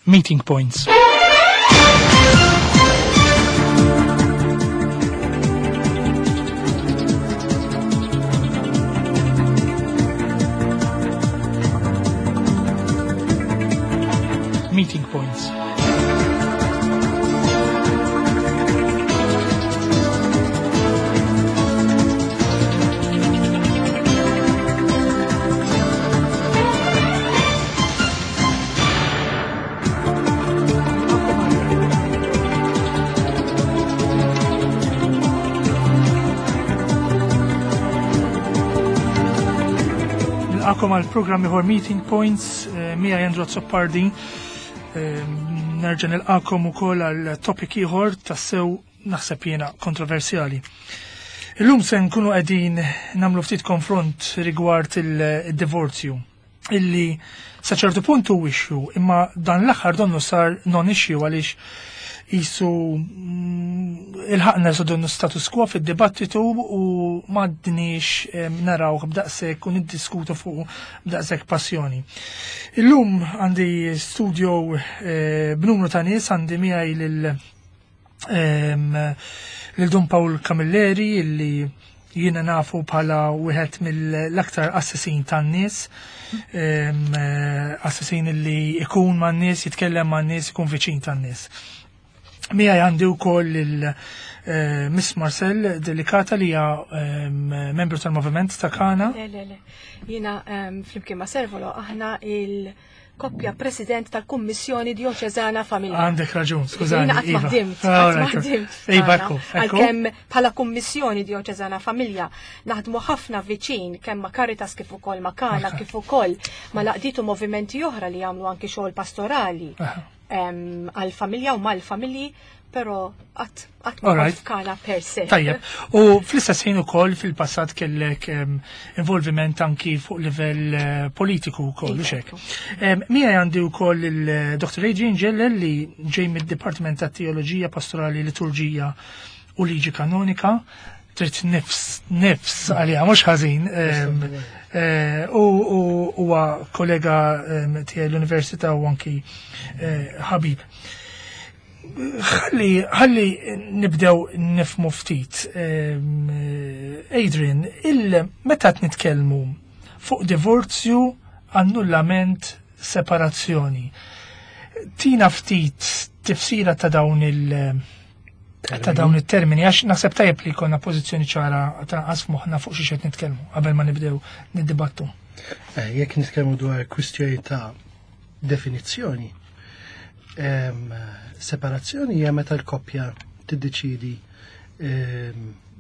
Meeting Points. Meeting Points. Nilqakom għal programm ieħor Meeting Points eh, mija Andrew Azzopardi. Eh, nerġa' nilqakom ukoll għal topic ieħor tassew naħseb jiena kontroversjali. Illum se nkunu qegħdin nagħmlu ftit konfront rigward il-divorzju illi sa ċertu punt hu issue, imma dan l-aħħar donnu sar non issue għaliex jisu mm, il-ħakna su donnu status quo fid-dibattitu u m'għadniex naraw b'daqshekk u niddiskutu fuq b'daqshekk passjoni. Illum għandi studio eh, b'numru ta' nies għandi miegħi lil lil Dun Paul Camilleri illi jiena nafu bħala wieħed mill-aktar assassin tan-nies, eh, assassin illi ikun man-nies, jitkellem man-nies, ikun viċin tan-nies. Miegħi għandi wkoll il eh, Miss Marcel Delicata li hija membru tal-Moviment ta' Kana. Le, le, le. Jiena flimkien ma' Servolo aħna il- koppja president tal-Kummissjoni Dioċeżana Familja. Għandek raġun, skużani. Jiena qatt ma Iva. ħdimt, Ah, qatt ma right. ħdimt. Iva, tagħna. ekku, ekku. Għalkemm bħala Kummissjoni Dioċeżana Familja naħdmu ħafna viċin kemm ma' Caritas kif ukoll ma' Kana kif ukoll ma' laqditu movimenti oħra li jagħmlu anki xogħol pastorali Aha. għal-familja u mal-familji, però qatt qatt ma All right. kont f'Kana per se. Tajjeb, u fl-istess ħin ukoll fil-passat kellek involviment anki fuq livell eh, politiku wkoll, u xek. Mija għandi wkoll il-Dr. Adrian Ġellel li ġej mid-Dipartiment ta' Teoloġija Pastorali Liturġija u Liġi Kanonika, trid nifs, nifs għalija, mhux ħażin. Eh, U huwa kollega tiegħi l-Università u anki eh, ħabib. Ħalli, ħalli nibdew nifmu ftit. Adrian, il meta qed nitkellmu fuq divorzju, annullament, separazzjoni. Tina ftit tifsira ta' dawn il- ta' dawn it-termini, għax naħseb tajjeb li jkollna pożizzjoni ċara ta' qas moħħna fuq xi qed nitkellmu qabel ma nibdew niddibattu. Eh, Jekk nitkellmu dwar kwistjoni ta' definizzjoni, separazzjoni hija meta l-koppja tiddeċidi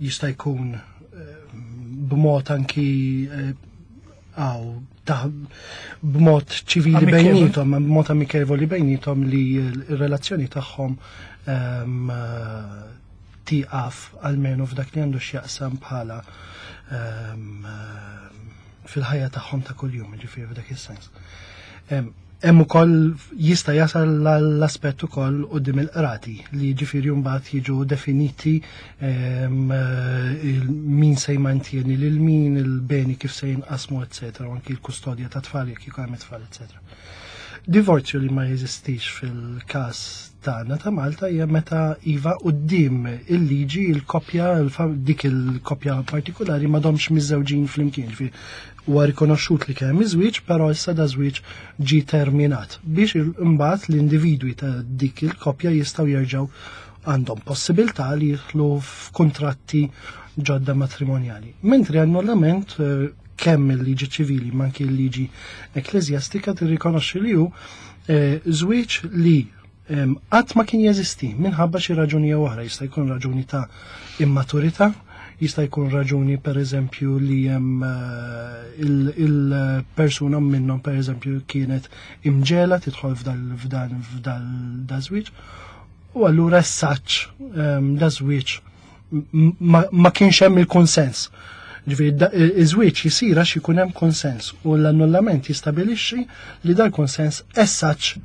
jista' jkun b'mod anki eh, għaw ta' b'mod ċivili Amikevoli. bejnietom, b'mod amikevoli bejnietom li l-relazzjoni tagħhom eh, tieqaf almenu f'dak li għandu x'jaqsam bħala fil-ħajja tagħhom ta' kuljum, ġifieri f'dak is-sens. Hemm ukoll jista' jasal l-aspett ukoll quddiem il-qrati li ġifieri mbagħad jiġu definiti eh, min se jmantjeni lil min, il-beni kif se jinqasmu, eccetera, u anki l-kustodja ta' tfal jekk jkun hemm tfal, eccetera. Divorzju li ma jeżistix fil-każ tagħna ta' Malta hija meta iva quddiem il-liġi il-koppja dik il-koppja partikolari m'għadhomx miżżewġin flimkien. Ġifieri huwa rikonoxxut li kien hemm iż-żwieġ, però issa da żwieġ ġie terminat biex imbagħad l-individwi ta' dik il-koppja jistgħu jerġgħu għandhom possibilità li jidħlu f'kuntratti ġodda matrimonjali. Mentri annullament eh, kemm il-liġi ċivili ma anki l-liġi ekklesjastika tirrikonoxxi li hu eh, żwieġ li qatt ma kien jeżisti minħabba xi raġuni jew oħra, jista' jkun raġuni ta' immaturità, jista' jkun raġuni per eżempju li hemm eh, il-persuna minnhom per eżempju kienet imġela tidħol f'dal f'dan f'dal da żwieġ u allura s-saċ da żwieġ ma kienx hemm il-konsens. Ġifieri iż-żwieġ jisir għax ikun hemm konsens u l-annullament jistabilixxi li dal-konsens essaċ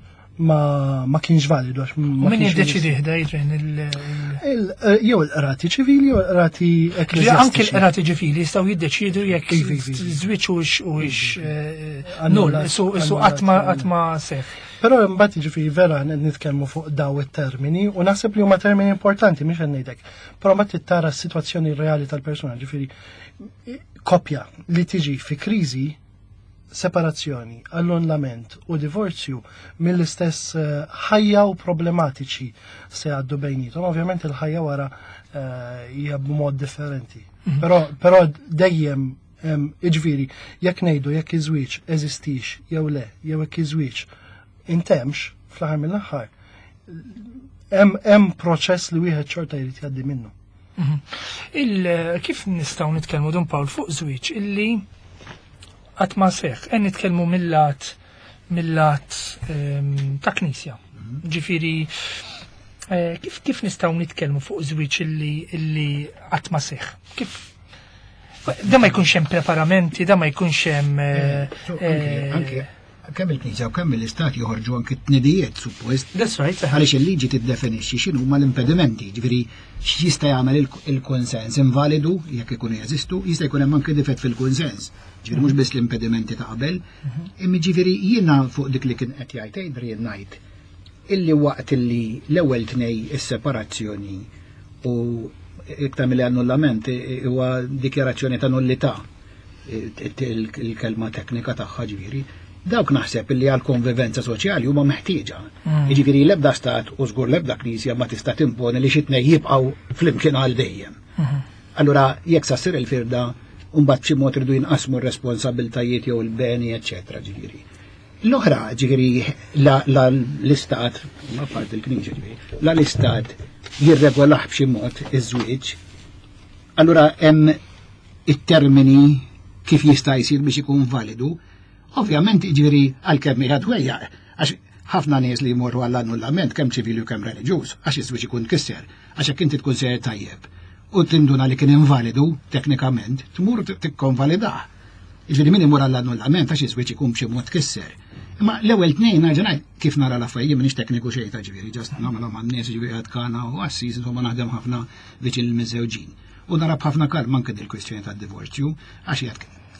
ma, ma kienx validu għax ma Min kienx jiddeċidi ħda Adrian il- eh, Jew il-qrati ċivili jew il-qrati Ġifieri ekkleżjastiċi. Anki l-qrati ġifili jistgħu jiddeċidu jekk Ivi, ivi, ivi. żwieġ hux hux eh, null, Annullat, isu isu annullat, qatt ma annullat. qatt ma seħ. Però mbagħad jiġifieri vera nitkellmu fuq daw it-termini u naħseb li huma termini importanti mhix qed ngħidlek. Però mbagħad trid tara s-sitwazzjoni reali tal-persuna, ġifieri koppja li tiġi fi kriżi separazzjoni, annullament u divorzju mill-istess eh, ħajja u problematiċi se għaddu bejnietom. Ovvjament il-ħajja wara eh, hija b'mod differenti. Mhm. Però però dejjem iġviri, jekk ngħidu jekk iż-żwieġ eżistix jew le, jew jekk iż-żwieġ intemx fl-aħħar mill-aħħar, hemm proċess li wieħed xorta jrid jgħaddi minnu. Mhm. Kif nistgħu nitkellmu Dun Pawl fuq żwieġ illi qatt ma seħħ, qed nitkellmu mill-lat mill-lat ehm, ta' knisja. Mhm. Ġifieri eh, kif kif nistgħu nitkellmu fuq żwieġ illi illi qatt ma seħħ? Kif da ma jkunx hemm preparamenti, da ma jkunx hemm eh, eh, anke kemm il-Knisja u kemm l-Istat joħorġu anki t-tnidijiet suppost. That's right. Għaliex il-liġi tiddefinixxi x'inhu huma l-impedimenti, ġifieri x'jista' jagħmel il-konsens invalidu jekk ikunu jeżistu, jista' jkun hemm anke difett fil-kunsens. Ġifieri mhux biss l-impedimenti ta' qabel, imma ġifieri jiena fuq dik li kien qed jgħid Adrian ngħid illi waqt illi l-ewwel tnej is-separazzjoni u iktar mill-annullament huwa dikjarazzjoni ta' nullità il-kelma teknika tagħha ġifieri, dawk naħseb li għal konvivenza soċjali huma meħtieġa. Mm. Jiġifieri l-ebda stat u żgur l-ebda knisja ma tista' timponi li xi tnej jibqgħu flimkien għal dejjem. Mm-hmm. Allura jekk sa ssir il-firda mbagħad b'xi mod irdu jinqasmu r-responsabiltajiet jew il-beni, eċċetera, ġifieri. L-oħra, ġifieri, la l-istat, ma part il-knisja ġifieri, la l-istat jirregolah b'xi mod iż-żwieġ, allura hemm it-termini kif jista' jsir biex ikun validu, ovvjament jiġifieri għalkemm hija dwejjaq, għax ħafna nies li jmorru għall-annullament kemm ċivili u kemm reliġjuż, għax iż-żwieġ ikun tkisser, għax jekk inti tkun sejjer tajjeb u tinduna li kien invalidu teknikament, tmur tikkonvalidah. Jiġifieri min imur għall-annullament għax iż-żwieġ ikun b'xi mod tkisser. Imma l-ewwel tnejn nerġa' ngħid kif nara l-affarijiet m'iniex tekniku xejn ta' ġifieri, ġast nagħmilhom għan-nies ġifieri għad kana u assis insomma naħdem ħafna viċin il-miżżewġin. U nara b'ħafna kalma anke dil-kwistjoni tad-divorzju, għax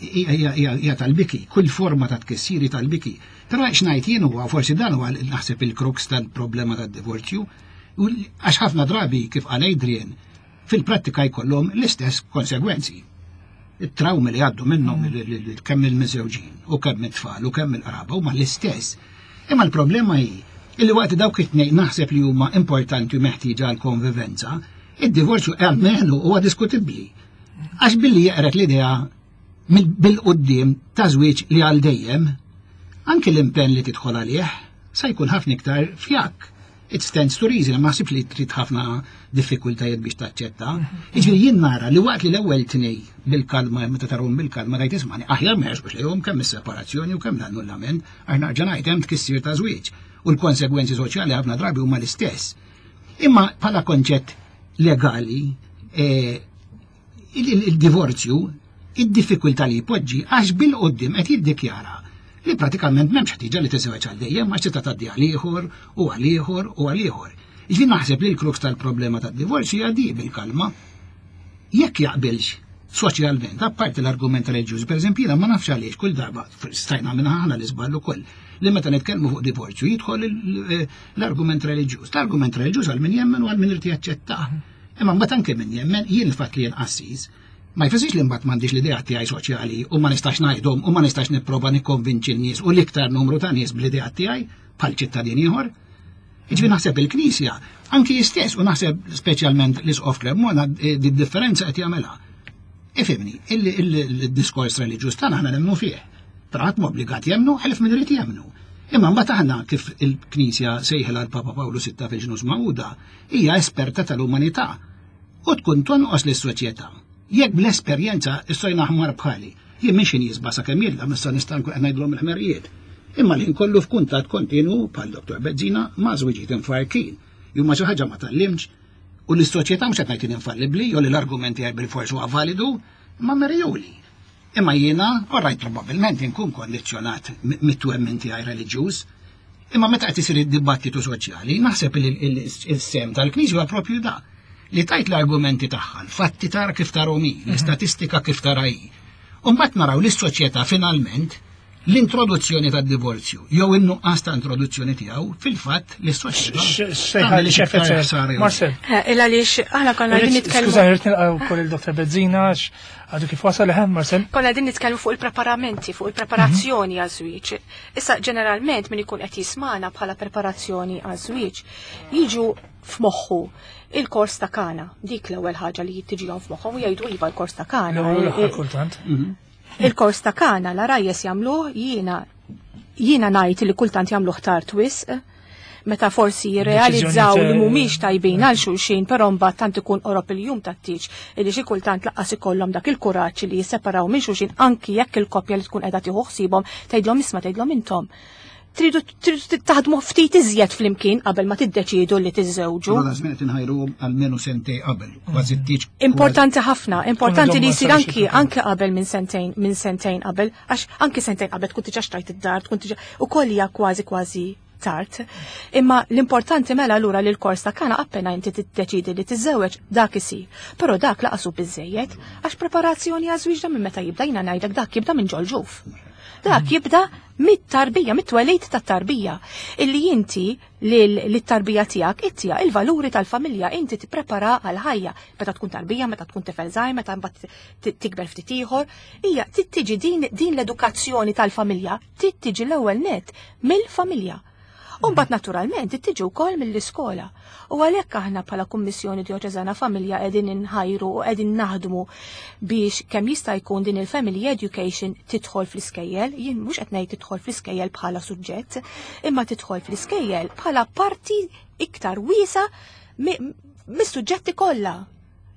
hija tal-biki, kull forma ta' tkissiri tal-biki. Però x'ngħid jien huwa forsi dan huwa naħseb il-crux tal-problema tad-divorzju, għax ħafna drabi kif qal Adrian, fil-prattika jkollhom l-istess konsegwenzi. It-trawmi li għaddu minnhom mm. kemm il-miżewġin u kemm it-tfal u kemm il-qraba huma l-istess. Imma l-problema hi illi waqt dawk it-tnejn naħseb li huma importanti u meħtieġa għal konvivenza, Id-divorzju almenu huwa diskutibbli. Għax billi jeqret l-idea bil-qudiem ta' żwieġ li għal dejjem, anki l-impenn li tidħol għalih sa jkun ħafna iktar fjak. It stands to reason, ma ħsibx li trid ħafna diffikultajiet biex taċċetta. Jiġifieri jien nara li waqt li l-ewwel tnej bil-kalma meta tarhom bil-kalma tgħid ismani aħjar ma jersqux lejhom kemm is-separazzjoni u kemm l-annullament għax narġa' ngħid hemm tkissir ta' żwieġ u l-konsegwenzi soċjali ħafna drabi huma l-istess. Imma bħala konċett legali, eh, il-divorzju, id-diffikultà li jpoġġi għax bil-qoddim qed jiddikjara li pratikament m'hemmx ħtieġa li tiżewġ għal dejjem għax tista' tgħaddi għal ieħor u għal ieħor u għal ieħor. Ġifieri naħseb li l-crux tal-problema tad-divorzju hija di bil-kalma. Jekk jaqbilx soċjalment, apparti l-argument reliġjuż, pereżempju jiena ma nafx għaliex kull darba stajna minn aħna l-iżball ukoll li meta nitkellmu fuq divorzju jidħol eh, l-argument reliġjuż. L-argument reliġjuż għal min jemmen u għal min irid jaċċettah. Imma mbagħad anke min jemmen, jien il-fatt li jien qassis, ma jfissirx li mbagħad m'għandix l-idea tiegħi soċjali u ma nistax ngħidhom u ma nistax nipprova nikkonvinċi n-nies u l-iktar numru ta' nies bl-idea tiegħi bħal ċittadin ieħor. Jiġifieri naħseb il-Knisja, anki jistess u naħseb speċjalment l-Isqof Cremona eh, di differenza qed jagħmilha. Ifimni, il-diskors reliġjuż tagħna aħna nemmnu fih. Però ħadd obbligat jemmnu ħelf min irid jemmnu. Imma mbagħad aħna kif il-Knisja sejħilha l-Papa Pawlu VI fil-ġnus Magħquda hija esperta tal-umanità u tkun tonqos lis-soċjetà. Jekk bl-esperjenza is-sojna aħmar bħali, jien minn xi nisba sakemm jilla missa nista' nkun qed ngħidlhom il-ħmerijiet. Imma li nkollu f'kuntatt kontinu bħal Dr. Bezzina ma' żwiġiet imfarkin. Jew ma xi ħaġa ma tallimx u l-soċjetà mhux qed ngħid infallibbli jew li l-argument tiegħi bil-fors huwa validu, imma merjuli. Imma jiena, orrajt probabbilment inkun kondizzjonat mit-twemmin tiegħi reliġjuż, imma meta qed isir id-dibattitu soċjali, naħseb li il-sem tal-Knisja huwa propju da li tajt l-argumenti tagħha, l-fatti tara kif tarhom hi, mhm. l-istatistika kif tara hi. U mbagħad naraw li s-soċjetà finalment L-introduzzjoni tad-divorzju jew in-nuqqas ta' introduzzjoni tiegħu fil-fatt li s-soċjetà. Marcel. Eh, il għaliex aħna konna qegħdin nitkellmu. Skuża, rrid nilqa' wkoll il-Dr. Bezzina għadu kif wasal eħem Marcel. Konna qegħdin nitkellmu fuq il-preparamenti, fuq il-preparazzjoni mhm. għaż-żwieġ. Issa ġeneralment min ikun qed jismana bħala preparazzjoni għaż-żwieġ jiġu f'moħħu il-kors ta' kana. Dik l-ewwel ħaġa li tiġihom f'moħħhom u jgħidu iva l-kors ta' kana. L-ewwel kultant. Mhm. Il-kors ta' kana la rajjes jagħmluh jiena jiena ngħid li kultant jagħmluh tard wisq meta forsi jirrealizzaw li mhumiex tajbin għal xulxin, però mbagħad tant ikun qorob il-jum tat-tieġ illi xi kultant laqqas ikollhom dak il-kuraġġ li jisseparaw minn xulxin anki jekk il-koppja li tkun qiegħda tieħu ħsiebhom tgħidlhom isma' tgħidlhom intom tridu taħdmu ftit iżjed flimkien qabel ma tiddeċiedu li tiżżewġu. Allura żmien qed inħajruhom almenu sentej qabel, kważi t-tieġ. Importanti ħafna, importanti li jsir anki anki qabel minn sentejn minn sentejn qabel, għax anki sentejn qabel tkun diġà xtrajt id-dar, tkun diġà ukoll hija kważi kważi tard. Imma l-importanti mela lura li l-kors ta' kana appena inti tiddeċidi li tiżżewweġ dak isir. Però dak laqasu biżejjed għax preparazzjoni għaż-żwieġ minn meta jibda jiena ngħidlek dak jibda minn ġol-ġuf. Dak jibda mit-tarbija, mit-twelid tat-tarbija. Illi inti lit-tarbija tiegħek ittija il-valuri tal-familja inti tipprepara għal ħajja meta tkun tarbija, meta tkun tifel żgħir, meta mbagħad tikber ftit ieħor, hija tiġi din, din l-edukazzjoni tal-familja tiġi l-ewwel net mill-familja. U mbagħad naturalment tiġi wkoll mill-iskola. U għalhekk aħna bħala Kummissjoni Djoċeżana Familja qegħdin inħajru u qegħdin naħdmu biex kemm jista' jkun din il-family education tidħol fl-iskejjel, jien mhux qed ngħid tidħol fl-iskejjel bħala suġġett, imma tidħol fl-iskejjel bħala parti iktar wiesa mis-suġġetti kollha.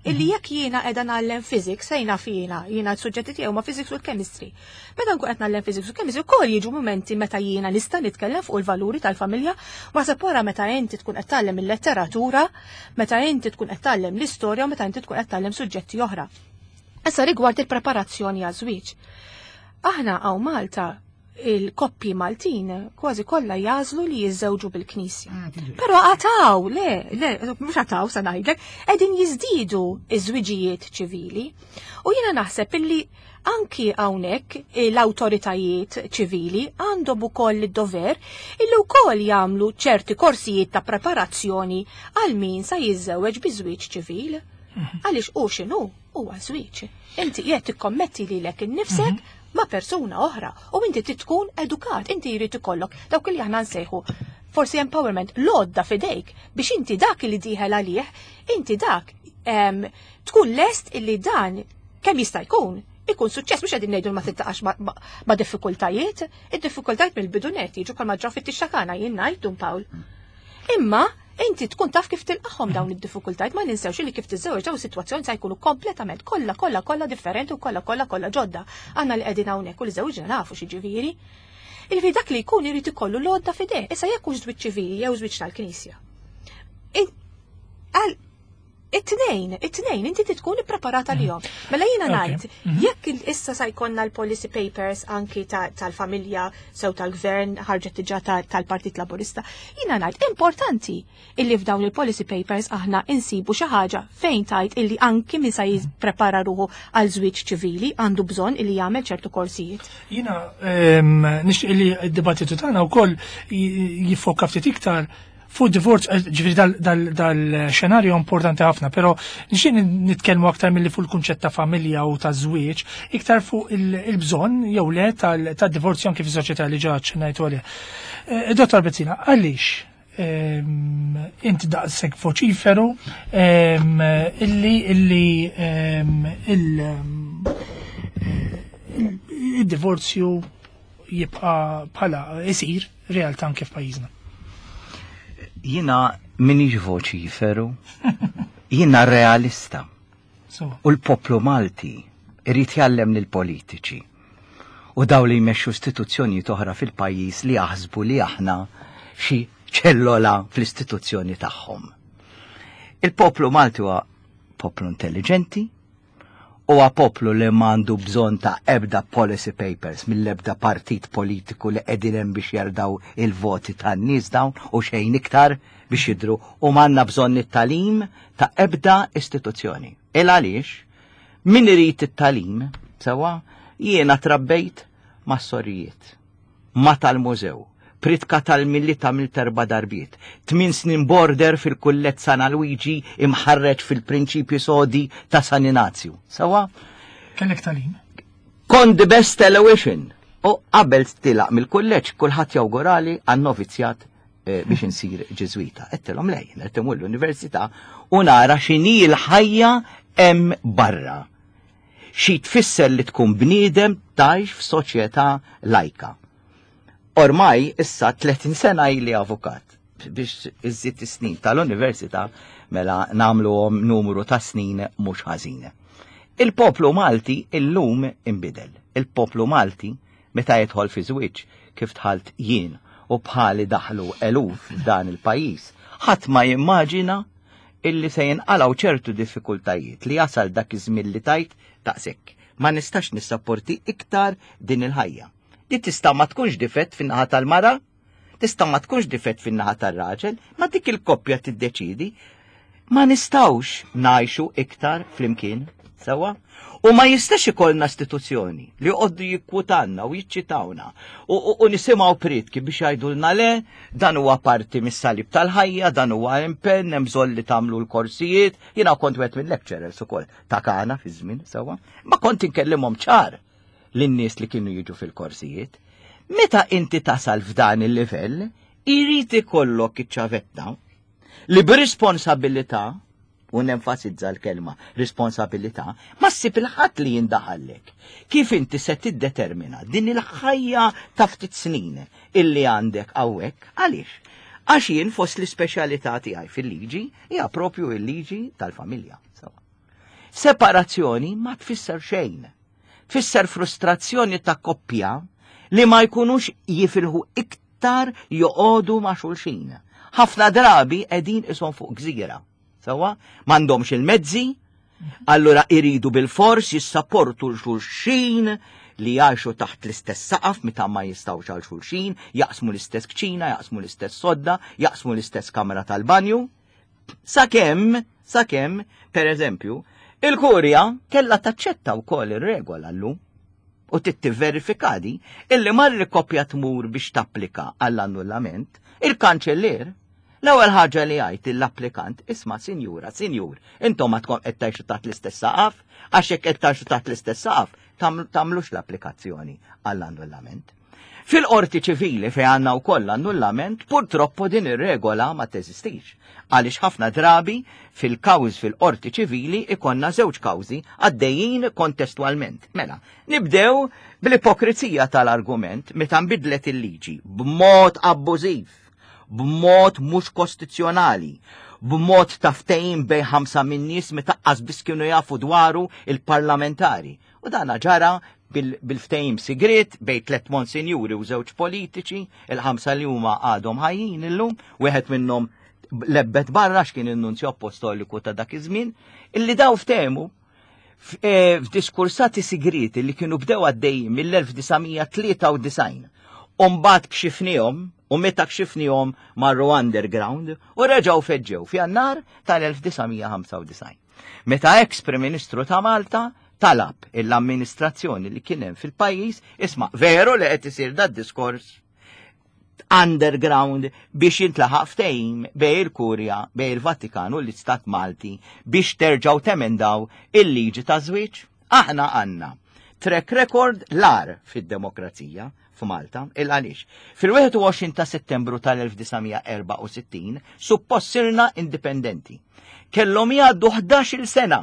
Illi jekk jiena qiegħda ngħallem physics, sejna fina, jiena s-suġġetti tiegħu ma' physics u l-chemistry. Meta nkun qed ngħallem physics u chemistry, ukoll jiġu momenti meta jiena nista' nitkellem fuq il-valuri tal-familja, ma wara meta inti tkun qed tgħallem il-letteratura, meta inti tkun qed tgħallem l-istorja u meta inti tkun qed tgħallem suġġetti oħra. Issa rigward il-preparazzjoni għaż-żwieġ. Aħna hawn Malta il-koppji Maltin kważi kollha jażlu li jiżżewġu bil-Knisja. Ah, Però għataw, le, le, mhux għataw sa ngħidlek, qegħdin jiżdiedu iż-żwiġijiet ċivili. U jiena naħseb illi anki hawnhekk l-awtoritajiet ċivili għandhom ukoll id-dover illi wkoll jagħmlu ċerti korsijiet ta' preparazzjoni għal min sa jiżżewweġ bi żwieġ ċivil. Mhm. Għaliex u x'inhu huwa żwieġ. Inti qiegħed tikkommetti lilek innifsek mhm. ma' persuna oħra u inti tkun edukat, inti jrid ikollok dawk li aħna nsejħu forsi empowerment, l-għodda fidejk biex inti dak li dieħel għalih, inti dak tkun lest illi dan kemm jista' jkun ikun suċċess mhux qegħdin ngħidu ma tiltaqax ma' diffikultajiet, id-diffikultajiet mill-bidu net jiġu bħalma ġraw fit-tixxakana jien ngħid Dun Pawl. Imma inti tkun taf kif tilqahom dawn id-diffikultajiet ma ninsewx li kif tiżżewweġ dawn sitwazzjoni se jkunu kompletament kollha kollha kollha differenti u kollha kollha kollha ġodda. Aħna li qegħdin hawnhekk u li żewġna nafu xi ġifieri. Il dak li jkun irid ikollu l-għodda f'idejh. Issa jekk hux żwieġ ċivili jew żwieġ tal-Knisja. Għal it-tnejn, it-tnejn, inti tkun ippreparata lihom. Mela jiena ngħid, jekk issa sa jkollna l-policy papers anki tal-familja sew tal-gvern ħarġet diġà tal-Partit Laburista, jiena ngħid importanti illi f'dawn il-policy papers aħna insibu xi ħaġa fejn tajt illi anki min sa jipprepara ruħu għal żwieġ ċivili għandu bżonn illi jagħmel ċertu korsijiet. Jiena nixtieq li d-dibattitu tagħna wkoll jiffoka ftit iktar fuq divorz, ġifieri dal-xenarju importanti ħafna, pero nixtieq nitkellmu aktar milli fuq il-kunċett ta' familja u ta' żwieġ, iktar fuq il-bżonn jew le tad-divorzju anke fis-soċjetà li ġa ċennajtu għalih. Dottor Bezzina, għaliex inti daqshekk voċiferu illi illi il-divorzju jibqa' bħala isir realtà anke f'pajjiżna? Jina minix voċiferu, jina realista. U l-poplu Malti irid jgħallem lill-politiċi u daw li jmexxu istituzzjonijiet oħra fil-pajjiż li jaħsbu li aħna xi ċellola fl-istituzzjoni tagħhom. Il-poplu Malti huwa poplu intelligenti, huwa poplu li m'għandu bżonn ta' ebda policy papers mill-ebda partit politiku li qegħdin hemm biex jardaw il-voti tan-nies dawn u xejn iktar biex jidru u m'għandna bżonn it-tagħlim ta' ebda istituzzjoni. Il għaliex min irid it-tagħlim, sewa, jiena trabbejt Mas-sorijiet, ma' tal-mużew, pritka tal-Milied għamilt erba' darbiet, tmin snin border fil-Kullett San Alwiġi imħarreġ fil-prinċipji sodi ta' San Inazju. Sawa? Kellek tagħlim? Kont the best television. U qabel tilaq mill-kulleġġ kulħadd jawgurali għan-novizzjat eh, biex insir Ġiżwita. Għedtilhom lejn, qed imur l-università u nara x'inhi l-ħajja hemm barra. Xi tfisser li tkun bniedem tgħix f'soċjetà lajka. Ormai issa 30 sena ili avukat biex iżżid is-snin tal-università mela nagħmluhom numru ta' snin mhux ħażin. Il-poplu Malti illum inbidel. Il-poplu Malti meta jidħol fi żwieġ kif dħalt jien u bħali daħlu eluf f'dan il-pajjiż, ħadd ma jimmaġina illi se jinqalgħu ċertu diffikultajiet li jasal dak iż-żmien li tgħid daqshekk. Ma nistax nissapporti iktar din il-ħajja. Di tista' ma tkunx difett fin-naħa tal-mara, tista' ma tkunx difett fin-naħa tar-raġel, ma dik il-koppja tiddeċidi ma nistgħux ngħixu iktar flimkien. Sewa? U ma jistax ikollna istituzzjoni li joqogħdu jikkwotanna u jiċċitawna u, u, u nisimgħu prietki biex jgħidulna le, dan huwa parti mis-salib tal-ħajja, dan huwa impenn, hemm bżonn li tagħmlu l-korsijiet. Jiena kont wieħed mill-lecturers ukoll ta' Kana fi żmien sewwa. Ma kont inkellimhom ċar lin-nies li kienu jiġu fil-korsijiet. Meta inti tasal f'dan il-livell, irid ikollok iċ-ċavetta li b'responsabilità u nenfasizza l-kelma responsabilità, ma ssib il-ħadd li jindaħallek. Kif inti se tiddetermina din il-ħajja ta' ftit snin illi għandek hawnhekk, għaliex? Għax jien fost l-ispeċjalità tiegħi fil-liġi hija propju il-liġi tal-familja. Separazzjoni ma tfisser xejn. Tfisser frustrazzjoni ta' koppja li ma jkunux jifilħu iktar joqogħdu ma' xulxin. Ħafna drabi qegħdin ishom fuq gżira. Sewwa, m'għandhomx il-mezzi, allura iridu bil-fors jissapportu l-xulxin li jgħixu taħt l-istess saqaf meta ma jistgħux għal xulxin, jaqsmu l-istess kċina, jaqsmu l-istess sodda, jaqsmu l-istess kamra tal-banju. Sakemm, sakemm, per eżempju, il-kurja kellha taċċetta wkoll ir-regola llum u tittivverifika di illi malli koppja tmur biex tapplika għall-annullament, il-kanċellier l-ewwel ħaġa li jgħid lill-applikant, isma' sinjura, sinjur, intom għadkom qed tgħixu taħt l-istess saqaf, għax jekk qed tgħixu taħt l-istess saqaf, tagħmlux l-applikazzjoni għall-annullament. Fil-qorti ċivili fejn għandna wkoll annullament, purtroppo din ir-regola ma teżistix. Għaliex ħafna drabi fil-kawż fil-qorti ċivili ikonna żewġ kawżi għaddejjin kontestwalment. Mela, nibdew bl-ipokrizija tal-argument meta nbidlet il-liġi b'mod abbużiv, b'mod mhux kostituzzjonali, b'mod ta' ftehim bejn ħamsa min-nies meta qas biss kienu jafu dwaru il-parlamentari. U dana ġara bil-ftehim sigriet bejn tliet monsinjuri u żewġ politiċi, il-ħamsa li huma għadhom ħajjin illum, wieħed minnhom lebbet barra x'kien in-nunzju apostoliku ta' dak iż-żmien, illi daw ftehmu e, f'diskursati sigrieti li kienu bdew għaddejjin mill-1993. U mbagħad kxifnihom u meta kxifnihom marru underground u reġgħu feġġew f'Jannar tal-1995. Meta ex Prim Ministru ta' Malta talab l-amministrazzjoni li kien hemm fil-pajjiż, isma' veru li qed isir dat diskors underground biex jintlaħaq ftehim bej il-Kurja, bej il-Vatikan u l-Istat Malti biex terġgħu temendaw il-liġi ta' żwieġ. Aħna għandna track record l-ar fid-demokrazija f'Malta, il għaliex. Fil-21 ta' Settembru tal-1964 suppost sirna indipendenti. Kellhom jgħaddu 11-il sena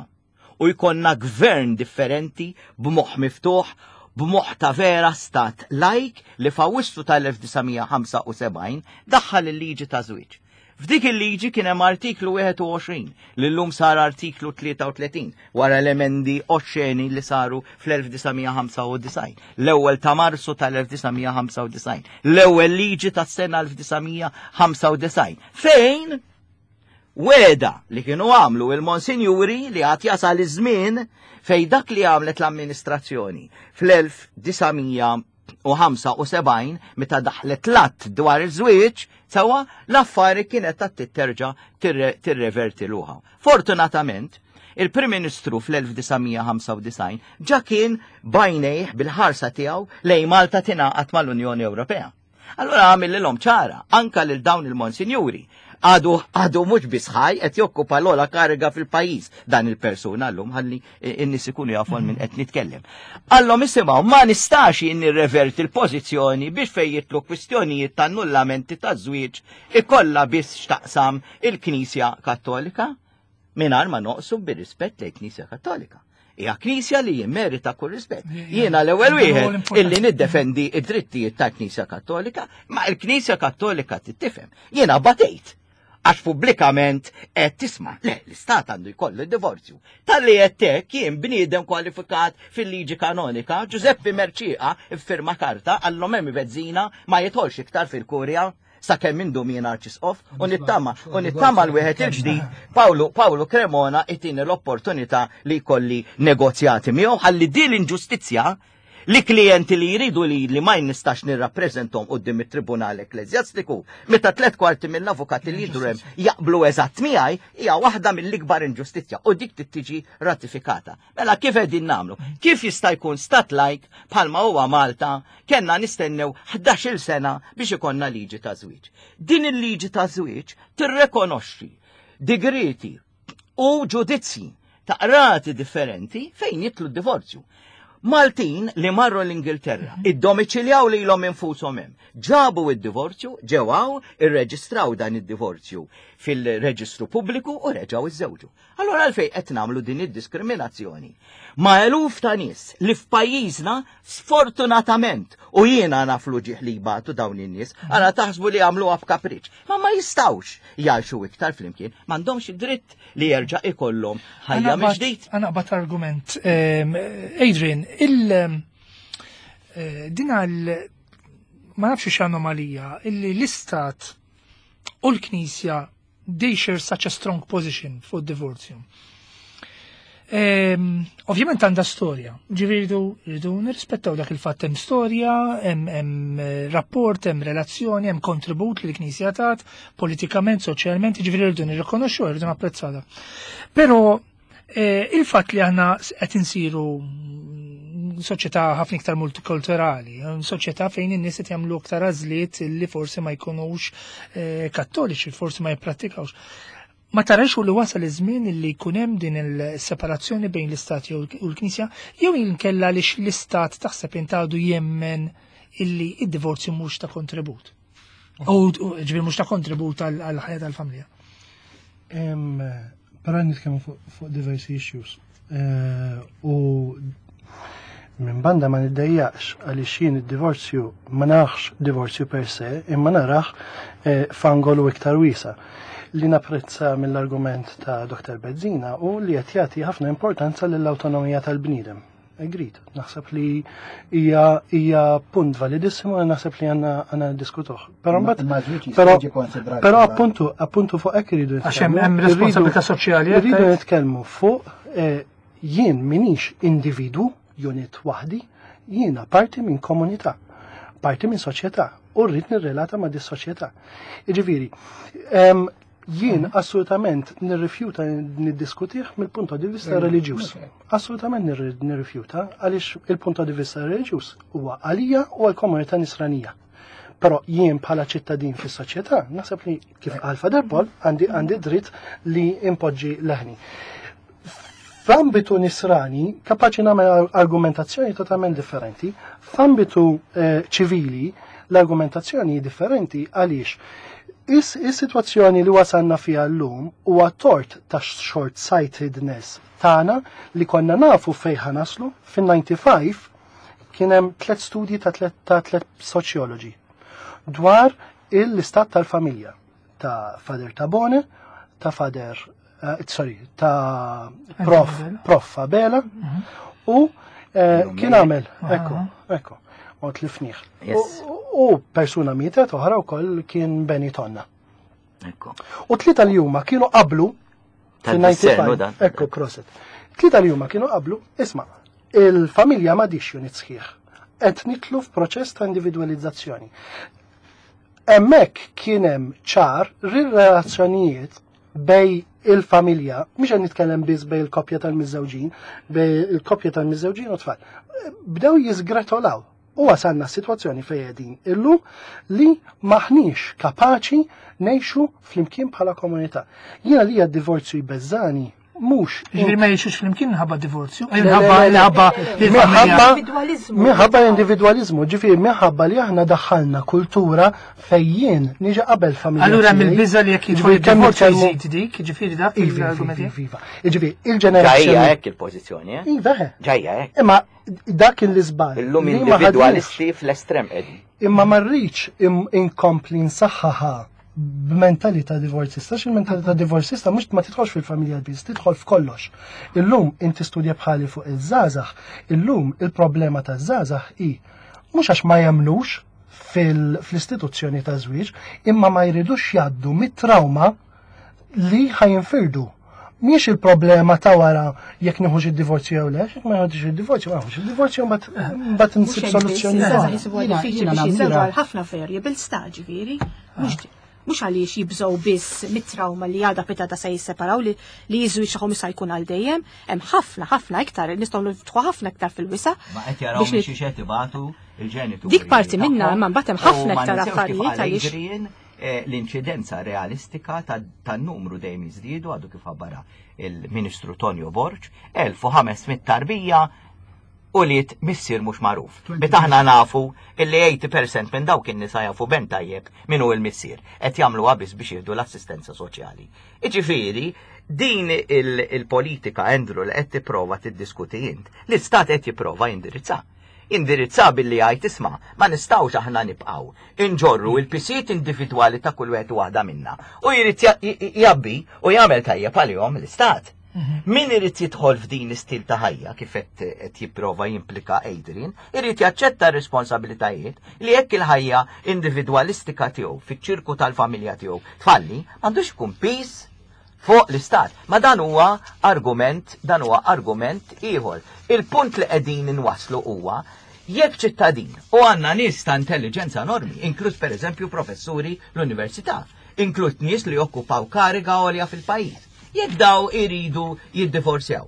u jkollna gvern differenti b'moħħ miftuħ, b'moħħ ta' vera stat lajk li f'Awwissu tal-1975 daħħal il-liġi ta' żwieġ. F'dik il-liġi kien hemm artiklu 21 li llum sar artiklu 33 wara l-emendi oxxeni li saru fl-1995, l-ewwel ta' Marzu tal-1995, l-ewwel liġi tas-sena 1995, fejn wegħda li kienu għamlu il-monsinjuri li għad jasal iż-żmien fejn dak li għamlet l-amministrazzjoni fl-1975 meta daħlet l-att dwar iż-żwieġ sewwa l-affari kienet ta' titterġa' tirreverti luħa. Fortunatament, Il-Prim Ministru fl-1995 ġa kien bajnejh bil-ħarsa tiegħu lejn Malta tingħaqad mal-Unjoni Ewropea. Allura għamillilhom ċara, anka lil dawn il-monsinjuri. Għadu għadu mhux biss ħaj qed jokkupa l-ogħla kariga fil-pajjiż dan il-persuna llum ħalli n-nies ikunu jafu minn qed nitkellem. Għallhom isimgħu ma nistax jien nirreverti l-pożizzjoni biex fejn jitlu kwistjonijiet ta' annullamenti ta' żwieġ ikollha biss x'taqsam il-Knisja Kattolika mingħajr ma noqsu bir-rispett lejn Knisja Kattolika. Hija knisja li jimmerita kull rispett. Jiena l-ewwel wieħed illi niddefendi id-drittijiet tal-Knisja Kattolika, ma l-Knisja Kattolika tittifhem. Jiena batejt għax pubblikament qed tisma' le l-istat għandu jkollu d-divorzju. Talli qed hekk jien bniedem kwalifikat fil-liġi kanonika, Giuseppe Mercieca ffirma karta għallhom hemm Bezzina ma jidħolx iktar fil-kurja sakemm indum jien arċisqof u nittama u nittama l-wieħed il-ġdid Pawlu Pawlu Cremona itini l-opportunità li jkolli negozjati miegħu ħalli din l-inġustizzja li klijenti li jridu li li ma nistax nirrappreżentom quddiem it-Tribunal Ekkleżjastiku, meta tlet kwarti mill-avukati li jidru hemm jaqblu eżatt miegħi, hija waħda mill-ikbar inġustizzja u dik tiġi ratifikata. Mela kif qegħdin nagħmlu? Kif jista' jkun stat like bħalma huwa Malta kellna nistennew 11-il sena biex ikollna liġi ta' żwieġ. Din il-liġi ta' żwieġ tirrekonoxxi digreti u ġudizzji ta' qrati differenti fejn jitlu d-divorzju. Maltin li marru l-Ingilterra, iddomiċiljaw lilhom infushom hemm, ġabu id-divorzju, ġew hawn, irreġistraw dan id-divorzju fil-reġistru pubbliku u reġgħu iżżewġu. Allora għalfejn qed nagħmlu din id-diskriminazzjoni? Ma' eluf ta' nies li f'pajjiżna sfortunatament u jiena naf l-uġigħ li jbatu dawn in-nies, għala taħsbu li għamluha b'kapriċ, ma ma jistgħux jgħixu iktar flimkien, m'għandhomx id-dritt li jerġa' ikollhom ħajja mill-ġdid. Għana qbad argument. Adrian, il din għal ma nafx x'anomalija illi l-istat u l-Knisja they share such a strong position fuq divorzju. Ovvjament għandha storja, ġifieri rridu nirrispettaw dak il-fatt hemm storja, hemm rapport, hemm relazzjoni, hemm kontribut li l-Knisja tat, politikament, soċjalment, ġifieri rridu nirrikonoxxu, rridu napprezzata. Però il-fatt li aħna qed insiru soċjetà ħafna iktar multikulturali, soċjetà fejn in-nies qed jagħmlu aktar għażliet li forsi ma jkunux kattoliċi, forsi ma jipprattikawx. Ma tarax li wasal iż-żmien li jkun hemm din il-separazzjoni bejn l-Istat u l-Knisja, jew inkella li l-Istat taħseb intgħadu jemmen illi id-divorzju mhux ta' kontribut. U ġifieri mhux ta' kontribut għall-ħajja tal-familja. Però nitkellmu fuq diversi issues. U minn banda ma niddejjaqx għaliex jien id-divorzju ma narax divorzju per se, imma narax f'angolu iktar wiesa. Li napprezza mill-argument ta' Dr. Bezzina u li qed jagħti ħafna importanza lill-awtonomija tal-bniedem. Agreed. Naħseb li hija punt validissimu u naħseb li għandna diskutuh. Però mbagħad Ma żwieġ jista' jiġi konsidrat però appuntu fuq hekk iridu Għax hemm nitkellmu. hemm responsabilità soċjali, Irridu qed nitkellmu fuq jien minix individu, unit waħdi, jiena parti minn komunità, parti minn soċjetà u rrid nirrelata ma' dis soċjetà. Jiġifieri, jien assolutament nirrifjuta niddiskutih mill-punto di vista reliġjuż. Assolutament nirrifjuta għaliex il-punto di vista reliġjuż huwa għalija u għall-komunità nisranija. Però jien bħala ċittadin fis-soċjetà naħseb li kif qal Father Paul għandi dritt li impoġġi leħni. F'ambitu nisrani kapaċi nagħmel argumentazzjoni totalment differenti, f'ambitu ċivili l-argumentazzjoni differenti għaliex is-sitwazzjoni li wasalna fiha llum huwa tort ta' short-sightedness tagħna li konna nafu fejn ħanaslu. Fin-95 kien hemm 3 studji ta' tliet soċjoloġi dwar l-istat tal-familja ta' Father Tabone, ta' Father sorry, ta' Prof Abela u Jum kien Mejja. għamel, ekku, ekku, u tlifnieh. U persuna mietet oħra wkoll kien Benny Tonna. U tlieta li huma kienu qablu Ta' fin-95. dissernu dan. Ekku, proset. Tlieta li huma kienu qablu, isma', il-familja m'għadix unit sħiħ. Qed nitlu f'proċess ta' individualizzazzjoni. Hemmhekk kien hemm ċar relazzjonijiet bejn il-familja, mhux qed nitkellem biss bejn il-koppja tal-miżżewġin, bejn il-koppja tal-miżżewġin u tfal. Bdew jiżgretolaw u wasalna s-sitwazzjoni fejn qegħdin illum li maħniex kapaċi ngħixu flimkien bħala komunità. Jiena li d-divorzju jbeżżani mhux. Ġifieri ma jgħixux flimkien minħabba divorzju, minħabba minħabba minħabba minħabba individwaliżmu, ġifieri minħabba li aħna daħħalna kultura fejn niġi qabel familja. Allura mill-biża li jekk jidħol divorzju jżid dik, ġifieri dak iva, iva, iva, Ġifieri il-ġenerazzjoni. Ġajja hekk il-pożizzjoni, eh? Iva. Ġajja hekk. Imma dak il-iżball. Illum individwalisti fl-estrem qegħdin. Imma ma rridx inkompli nsaħħaħa b'mentalità divorzista, għax il-mentalità divorzista mhux ma tidħolx fil-familja biss, tidħol f'kollox. Illum inti studja bħali fuq iż-żgħażagħ, illum il-problema taż-żgħażagħ hi mhux għax ma jemmnux fl-istituzzjoni ta' żwieġ, imma ma jridux jgħaddu mit-trauma li ħajinfirdu. Mhix il-problema ta' wara jekk nieħux id-divorzju jew le, jekk ma nieħux id-divorzju, ma nieħux id-divorzju mbagħad insib soluzzjoni. Ħafna variables ta' ġifieri, mhux għaliex jibżgħu biss mit-trauma li għada pitada se jisseparaw li li jiżwieġ tagħhom issa jkun għal dejjem, hemm ħafna ħafna iktar nistgħu niftħu ħafna iktar fil-wisa. Ma qed jaraw mhix qed ibatu il-ġenituri. Dik parti minna imma mbagħad hemm ħafna iktar affarijiet għaliex L-inċidenza realistika tan-numru dejjem jiżdiedu għadu kif ħabbara il-Ministru Tonio Borg, 1500 tarbija u liet missier mhux magħruf. Meta aħna nafu illi 80% minn dawk in-nisa jafu ben tajjeb min hu l-missier, qed jagħmluha biss biex jieħdu l-assistenza soċjali. Jiġifieri, din il-politika, Andrew, li qed tipprova tiddiskuti int, l-istat qed jipprova jindirizza. Indirizza billi jgħid isma' ma nistgħux aħna nibqgħu inġorru il-pisijiet individwali ta' kull wieħed u waħda minna u jrid jabbi u jagħmel tajjeb għalihom l-istat. Mhm. Min irid jidħol f'din l-istil ta' ħajja kif qed jipprova jimplika Adrian, irid jaċċetta r-responsabilitajiet li jekk il-ħajja individwalistika tiegħu fiċ-ċirku tal-familja tiegħu tfalli, m'għandux ikun pis fuq l-istat. Ma dan huwa argument, dan huwa argument ieħor. Il-punt li qegħdin inwasslu huwa jekk ċittadin u għandna nies ta' intelliġenza enormi, inkluż pereżempju professuri l-università, inkluż nies li jokkupaw kariga għolja fil-pajjiż. Jekk daw iridu jiddivorzjaw.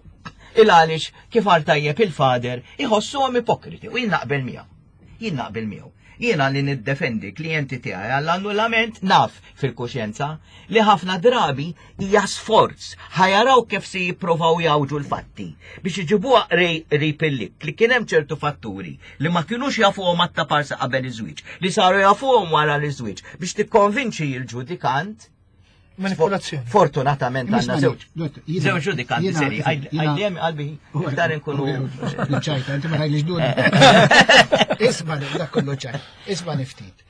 Il għaliex kif għal tajjeb il-fader iħossuhom ipokriti u jien naqbel miegħu. Jien naqbel miegħu. Jiena li niddefendi klijenti tiegħi għall-annullament naf fil-kuxjenza li ħafna drabi hija sforz ħajaraw kif se jipprovaw jawġu l-fatti biex iġibuha qrib il-lik li kien hemm ċertu fatturi li ma kinux jafuhom għat-taparsa qabel iż-żwieġ, li saru jafuhom wara l-iżwieġ biex tikkonvinċi l-ġudikant Manipolazzjoni. Fortunatament għandna żewġ. Żewġ ġudikanti seri. Għajdem qalbi iktar inkunu. Ċajta, inti ma tgħidlix dun. Isma' dak kollu ċajt. Isma' niftit.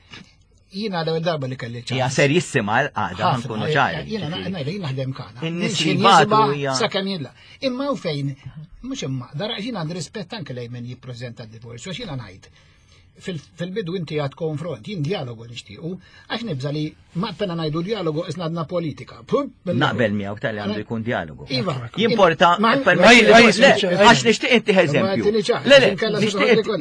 Jiena l-ewwel darba li kelli ċajt. Hija serjissima l-qagħda nkunu ċari. Jiena ngħidha jien naħdem kana. In-nies li batu hija. Sakemm jilla. Imma u fejn mhux imma, dara jiena għandi rispett anke lejn min jippreżenta d-divorzju għax jiena ngħid fil-bidu inti għad konfront, jien dialogu nixtiequ, għax nibża li ma pena ngħidu dialogu isna għadna politika. Naqbel miegħu tal għandu jkun dialogu. Iva. Jimporta, għax nixtieq inti eżempju. Le, le,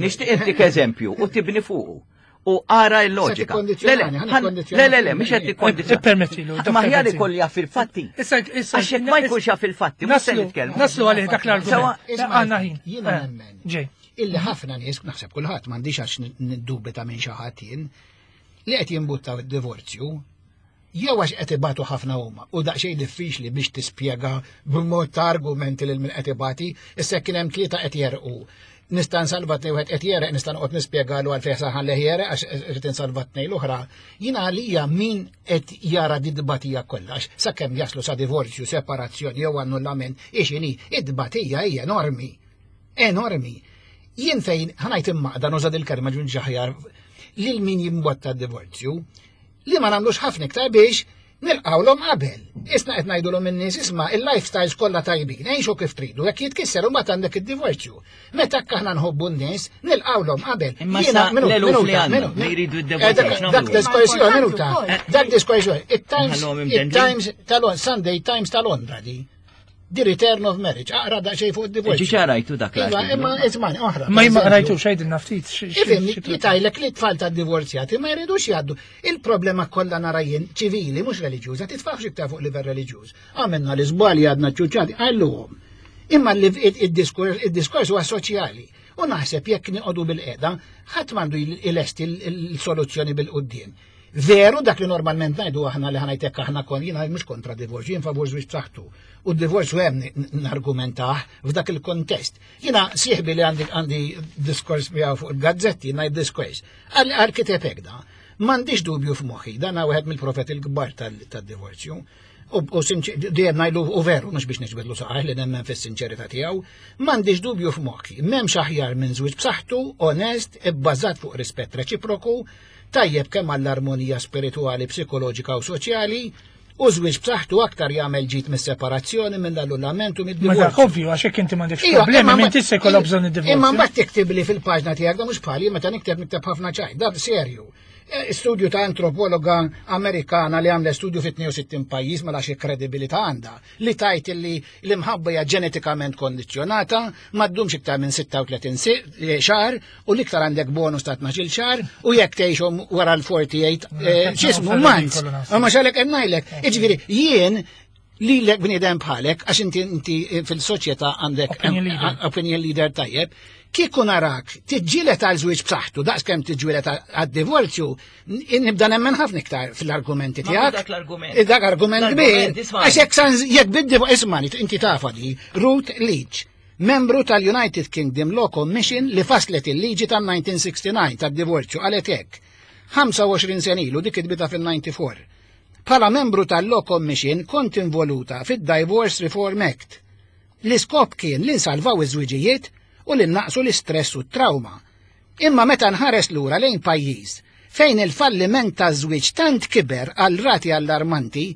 nixtieq inti eżempju u tibni fuqu. U ara l-loġika. Le, le, le, le, mhux qed tikkondizzjona. Ippermettilu. Ma ħjar ikolli jaf il-fatti. Għax jekk ma jkunx jaf il-fatti, mhux se nitkellmu. Naslu għalih dak l-argument. Għandna ħin. Jiena nemmen. Ġej. Illi ħafna nies, naħseb kulħadd m'għandix għax niddubita minn xi ħadd jien, li qed jimbuttaw id-divorzju, jew għax qed ibatu ħafna huma u daqsxejn diffiċli biex tispjega b'mod ta' argumenti lil min qed ibati, issa kien hemm tlieta qed jerqu. Nista' nsalva tnej wieħed qed jereq, nista' noqgħod nispjegalu għalfejn saħan leħ jereq għax irid insalva tnej l-oħra. Jiena għalija min qed jara di tbatija kollha għax sakemm jaslu sa divorzju, separazzjoni jew annullament, ix inhi, it-tbatija hija enormi. Enormi. Jien fejn, ħanajt immaqda nuża dil-kelma ġun ġaħjar, lil min jimbotta d-divorzju, li ma nagħmlux ħafna iktar biex nilqawlhom qabel. Isna qed ngħidulhom in-nies isma' il-lifestyles kollha tajbin, għixu kif tridu, jekk jitkisser u mbagħad għandek id-divorzju. Meta aħna nħobbu n-nies, nilqawlhom qabel. Imma sa l-eluf li għandhom li jridu d-divorzju. Dak diskors minuta. Dak diskors Il-Times, il-Times tal-Sunday Times ta' Londra di. The Return of Marriage, aqra daqsxejn fuq id-divorzju. Ġiġa rajtu dak Iva, imma ismani, oħra. Ma jimma rajtu xejd naftit. Ifhem, jitajlek li tfal ta' divorzjati ma jridux jgħaddu. Il-problema kollha nara jien ċivili, mhux reliġjuża, titfaħx iktar fuq livell reliġjuż. Għamilna l-iżbalji għadna ċuċati, għalluhom. Imma id-diskors huwa soċjali. U naħseb jekk niqogħdu bil-qeda, ħadd m'għandu ilesti l-soluzzjoni bil-quddiem. Veru dak li normalment ngħidu aħna li ħanajtek aħna kon jiena mhux kontra divorzju, jien favur żwieġ b'saħħtu. U d-divorzju hemm nargumentah f'dak il-kontest. Jiena sieħbi li għandi għandi diskors miegħu fuq il-gazzetti, ngħid diskors. Għal kiteb hekk da. M'għandix dubju f'moħħi, dan wieħed mill-profeti l-kbar tad-divorzju. U dejjem ngħidlu u veru mhux biex niġbedlu saqajh li nemmen fis-sinċerità tiegħu, m'għandix dubju f'moħħi, m'hemmx aħjar minn żwieġ b'saħħtu, onest, ibbażat fuq rispett reċiproku, tajjeb kemm għall-armonija spiritwali, psikoloġika u soċjali, u żwieġ b'saħħtu aktar jagħmel ġid mis-separazzjoni, mill-annullament u mid-divorzju. Ma dak ovvju għax hekk inti m'għandekx problemi minn tista' jkollok bżonn id-divorzju. Imma mbagħad tiktibli fil-paġna tiegħek da mhux bħali meta nikteb nikteb ħafna ċajt, da serju. Eh, studju ta' antropologa Amerikana li għamlet studju fi 62 pajjiż mela xi kredibilità għandha li tajt li l-imħabba hija ġenetikament kondizzjonata, ma ddumx iktar minn 36 eh, xahar u l-iktar għandek bonus ta' 12 xahar u jekk tgħixhom wara l-48 eh, x'ismu months. Ma xalek qed ngħidlek. Jiġifieri jien li l bniedem bħalek, għax inti inti fil-soċjetà għandek opinion leader tajjeb, kieku narak tiġġielet għal żwieġ b'saħħtu daqs kemm tiġġielet għad-divorzju, nibda nemmen ħafna iktar fil-argumenti tiegħek. Dak l-argument. Dak argument kbir. Għax jekk san jekk bid-divorzju, ismani, inti tafa di, Ruth Leach, membru tal-United Kingdom Law Commission li faslet il-liġi tal-1969 tad-divorzju qalet hekk. 25 sena ilu dik kitbitha fil-94. Bħala membru tal-Law Commission kont involuta fid-Divorce Reform Act. L-iskop kien li nsalvaw iż-żwiġijiet u li nnaqqsu l-istress u t-trawma. Imma meta nħares lura lejn pajjiż fejn il-falliment taż-żwieġ tant kiber għal rati allarmanti,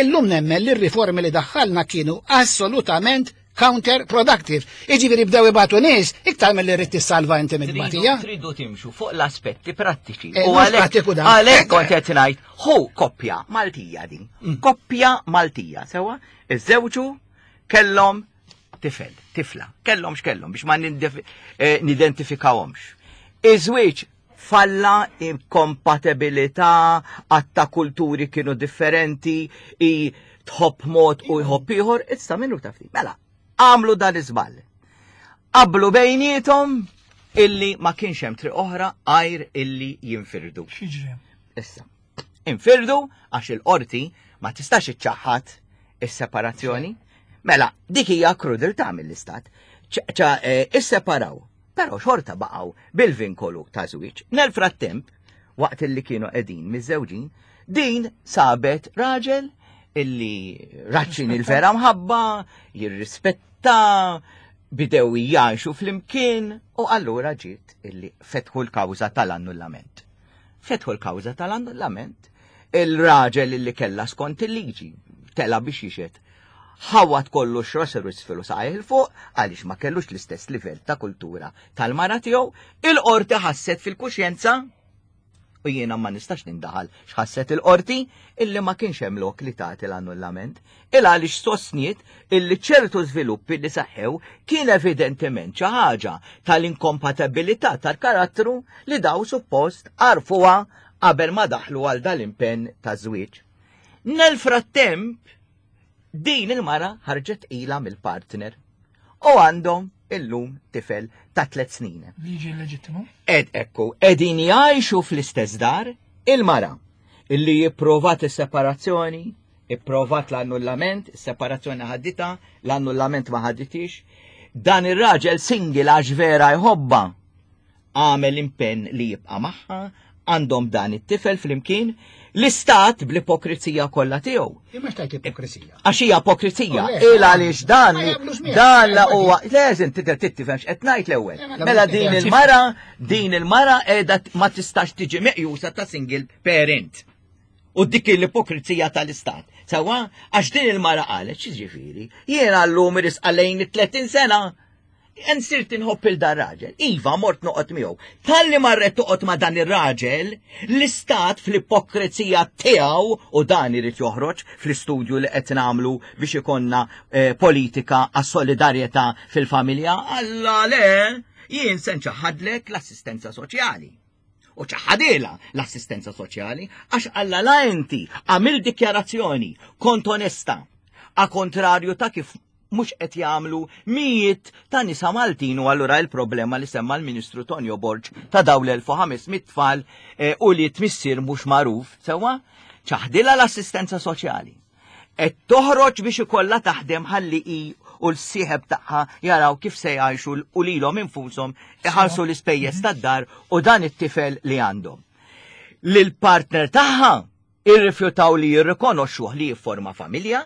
illum nemmen li r-riformi li daħħalna kienu assolutament counter-productive. Iġifieri bdew ibatu nies iktar milli rrid tissalva inti mit-tbatija. Tridu timxu fuq l-aspetti prattiċi. Eh, U mhux prattiku dan. għalhekk kont qed ngħid, hu koppja Maltija din. Koppja Maltija, sewa, iżżewġu kellhom tifel, tifla, kellhom x'kellhom biex ma eh, nidentifikawhomx. Iż-żwieġ falla inkompatibilità, għatta kulturi kienu differenti, i tħobb mod u jħobb ieħor, issa minnu taf Mela, għamlu dan iż-żball. Qablu bejnietom illi ma kienx hemm triq oħra għajr illi jinfirdu. X'jiġri? Issa, infirdu għax il-qorti ma tistax iċċaħħad is-separazzjoni. Mela, dik hija krudeltà mill-istat. Ċa eh, isseparaw Però xorta baqgħu bil-vinkolu ta' żwieġ. Nel frattemp, waqt illi kienu qegħdin miżżewġin, din sabet raġel illi raċċin il-vera mħabba, jirrispetta, bidew jgħixu flimkien u allura ġiet illi fetħu l-kawża tal-annullament. Fetħu l-kawża tal-annullament, il-raġel illi kella skont il-liġi tela biex jixed Ħawwad kollox rasu 'l isfel u saqajh 'il fuq għaliex ma kellux l-istess livell ta' kultura tal-mara tiegħu, il-qorti ħasset fil-kuxjenza, u jiena ma nistax nindaħal x'ħasset il-qorti, illi ma kienx hemm lok li tagħti l-annullament, il għaliex sostniet illi ċertu żviluppi li seħħew kien evidentement xi ħaġa tal-inkompatibilità tal-karattru li daw suppost għarfuha qabel ma daħlu għal dal-impenn taż-żwieġ. Nel frattemp, din il-mara ħarġet tqila mill-partner u għandhom illum tifel ta' tlet snin. Liġi leġittimu? Ed ekku, edin jgħixu fl-istess dar il-mara illi jipprovat is-separazzjoni, ipprovat l-annullament, is-separazzjoni ħaddita, l-annullament ma ħadditix. Dan ir-raġel single għax vera jħobba għamel impenn li jibqa' magħha, għandhom dan it-tifel flimkien, l-istat bl-ipokrizija kollha tiegħu. Imma x'tajt ipokrizija? Għax hija ipokrizija, oh, il għaliex dan dan la huwa leżin tidher tifhem x'qed ngħid l-ewwel. Mela din il-mara, din il-mara qiegħda ma tistax tiġi meqjusa ta' single parent. U dik l-ipokrizija tal-istat. Sawa, għax din il-mara qalet, x'ġifieri, jiena llum irisqa lejn it-30 sena. Insirt inħobb il dar raġel. Iva, mort noqgħod miegħu. Talli marret toqgħod ma' dan ir-raġel, l-istat fl-ipokrezija tiegħu u dan irid joħroġ fl-istudju li qed nagħmlu biex ikollna eh, politika għas-solidarjetà fil-familja. Alla le, jien se nċaħħadlek l-assistenza soċjali. U ċaħadilha l-assistenza soċjali għax alla la inti għamil dikjarazzjoni kont onesta a kontrarju ta' kif mhux qed jagħmlu mijiet ta' nisa Maltin u allura il-problema li semma l-Ministru Tonio Borg ta' dawn l-1500 tfal eh, u li tmissier mhux magħruf sewwa ċaħdilha l-assistenza soċjali. Qed toħroġ biex ikollha taħdem ħalli hi u l-sieħeb tagħha jaraw kif se jgħixu u lilhom infushom iħallsu l-ispejjeż tad-dar u dan it-tifel li għandhom. Lil-partner tagħha irrifjutaw li jirrikonoxxuh li jifforma familja,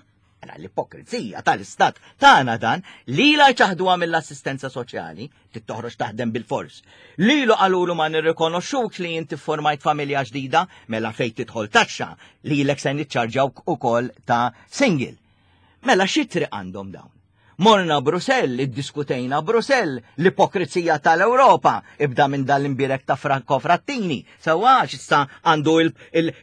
Mela l-ipokrizija tal-istat tagħna dan lilha jċaħduha mill-assistenza soċjali, trid toħroġ taħdem bil-fors. Lilu qalulu ma nirrikonoxxuk li inti formajt familja ġdida, mela fejn tidħol taxxa lilek se niċċarġawk ukoll ta' single. Mela xi triq għandhom dawn? Morna Brusell, iddiskutejna Brusell, l-ipokrizija tal-Ewropa, ibda minn dal-imbirek ta' Franco Frattini, sewwa għax issa għandu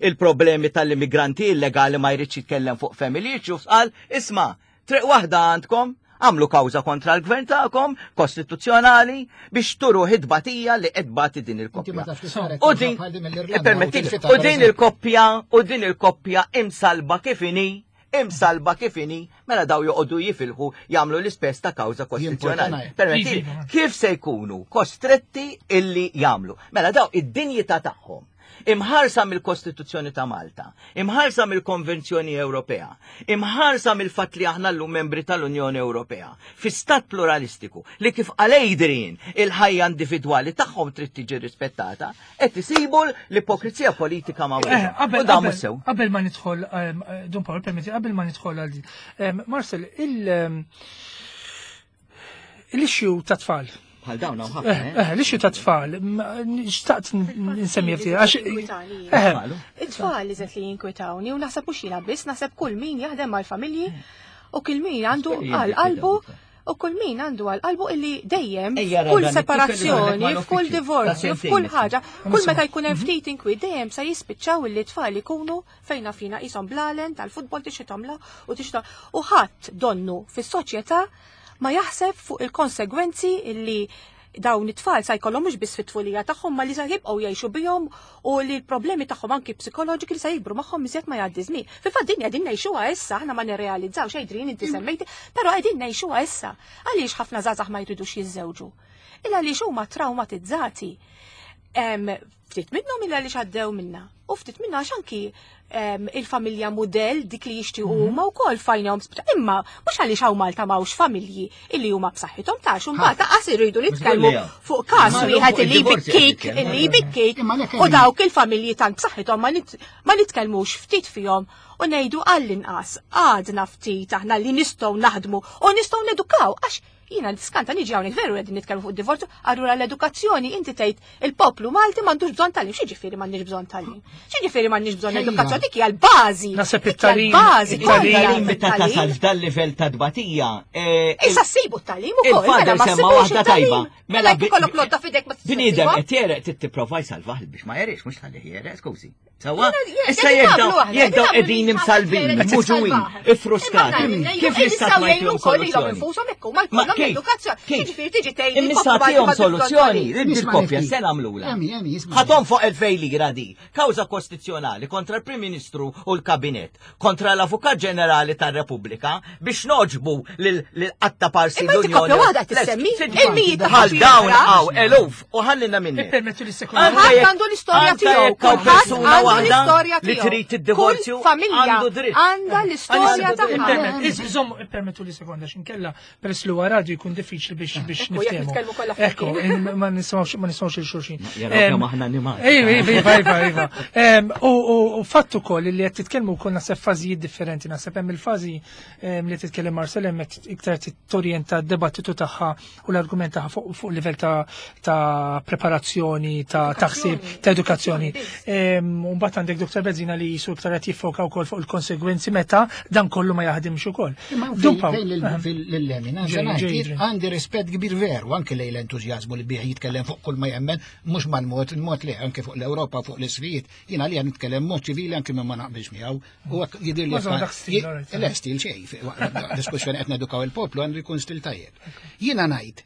il-problemi tal-immigranti illegali ma jridx jitkellem fuq family issues, qal, isma' triq waħda għandkom, għamlu kawża kontra l-gvern tagħkom, kostituzzjonali, biex turu id-batija li qed tbati din il-koppja. U din, u din il-koppja, u din il-koppja imsalba kif inhi, imsalba kif inhi, mela daw joqogħdu jifilħu jagħmlu l-ispess ta' kawża kostituzzjonali. Permetti, kif se jkunu kostretti illi jagħmlu? Mela daw id-dinjità tagħhom imħarsa mill-Kostituzzjoni ta' Malta, imħarsa mill-Konvenzjoni Ewropea, imħarsa mill-fatt li aħna llum membri tal-Unjoni Ewropea, fi stat pluralistiku li kif qal Adrian il-ħajja individwali tagħhom trid tiġi rispettata, qed isibu l-ipokrizija politika ma' eh, qabel qabel ma nidħol ehm, eh, Dun Paul permetti qabel ma nidħol għal ehm, Marcel il ehm, l-issue ta' tfal. Bħal dawn hawn ħafna. Eh, eh, l-issue ta' tfal, xtaqt nsemmi ftit għax. It-tfal li li jinkwitawni u naħseb mhux jiena biss, naħseb kull min jaħdem mal-familji u kull min għandu għal qalbu U kull min għandu għal qalbu illi dejjem kull separazzjoni, f'kull divorzju, f'kull ħaġa, kull meta jkun hemm mhm. ftit inkwi dejjem sa jispiċċaw illi tfal ikunu fejna fina qishom blalen tal-futbol tixithom la u tixta u ħadd donnu fis-soċjetà ma jaħseb fuq il-konsegwenzi illi dawn it-tfal sa jkollhom mhux biss fit-tfulija tagħhom ma li sa jibqgħu jgħixu bihom u li l-problemi tagħhom anki psikoloġiki li sa jikbru magħhom iżjed ma jgħaddi żmien. Fil-fatt din qegħdin ngħixuha issa, aħna ma nirrealizzawx Adrian inti semmejti, però qegħdin ngħixuha issa. Għaliex ħafna żgħażagħ ma jridux jiżżewġu? Illa għaliex huma traumatizzati. Ftit minnhom illa għaliex għaddew minna. U ftit minna għax anki il-familja mudell dik li jixtiequ mhm. huma wkoll fajnhom imma mhux għaliex hawn Malta m'hawnx familji illi huma b'saħħithom ta' xum mbagħad qas iridu nitkellmu fuq każ wieħed illi jbikkik illi jbikkik u dawk il-familji tant b'saħħithom ma nitkellmux ftit fihom u ngħidu għall-inqas għadna ftit aħna li nistgħu naħdmu u nistgħu nedukaw għax Jiena niskanta niġi hawnhekk veru qegħdin nitkellmu fuq divorzju, allura l-edukazzjoni inti tgħid il-poplu Malti m'għandux bżonn tagħlim. X'jiġifieri m'għandniex bżonn tagħlim? X'jiġifieri m'għandniex bżonn edukazzjoni? Dik hija l-bażi. Naħseb it-tagħlim. Bażi it-tagħlim meta tasal f'dan livell ta' tbatija. Eh, Issa ssibu t-tagħlim ukoll. Mela ma semma waħda tajba. Mela jkollok lodda f'idek ma Bniedem qed jereq trid tipprova jsalvah biex ma jeriex mhux tħallih jereq, skużi. Sawa? Issa jekk daw qegħdin imsalbin, muġuwin, iffrustrati. Kif l-istat ma jtihom soluzzjoni? Ma kif? Imma tihom soluzzjoni, il-koppja se nagħmlula. Ħatom fuq 2000 lira di, kawża kostituzzjonali kontra l-Prim Ministru u l-Kabinett, kontra l-Avukat Ġenerali tar-Repubblika biex noġbu lil qatta parsi l-Unjoni. Inti waħda tissemmi, il-mijiet ta' dawn hawn eluf U ħallina minni. Ippermettu li sekonda. Kulħadd għandu l-istorja tiegħu. Kulħadd għandu l-istorja tiegħu. Li trid id-divorzju. Familja għandha l-istorja tagħha. Iżomm ippermettu li sekonda x'inkella peress li huwa radju jkun diffiċli biex biex niftehmu. Ekku, ma nisimgħux ma nisimgħux il xulxin. Kemm aħna animati. Iva, iva, iva, iva. U fatt ukoll li qed titkellmu wkoll naħseb fażijiet differenti, naħseb hemm il-fażi li titkellem Marcel hemm iktar torjenta d-debattitu tagħha u l-argument tagħha fuq fu livell ta', ta preparazzjoni, ta' taħsib, ta' edukazzjoni. U mbagħad mbagħad għandek Dr. Bezzina li jisu iktar qed jiffoka wkoll fuq il-konsegwenzi meta dan kollu ma jaħdimx ukoll. Lil-lemin, għandi rispett kbir veru anke lejn l-entużjażmu li bih jitkellem fuq kull ma jemmen, mhux mal-mod, il-mod li anke fuq l-Ewropa, fuq l-isfijiet, jiena li nitkellem mod ċivili anke minn ma naqbilx miegħu. U hekk jidhir li Le stil xejn, diskussjoni qed nedukaw il-poplu għandu jkun stil tajjeb. Jiena ngħid,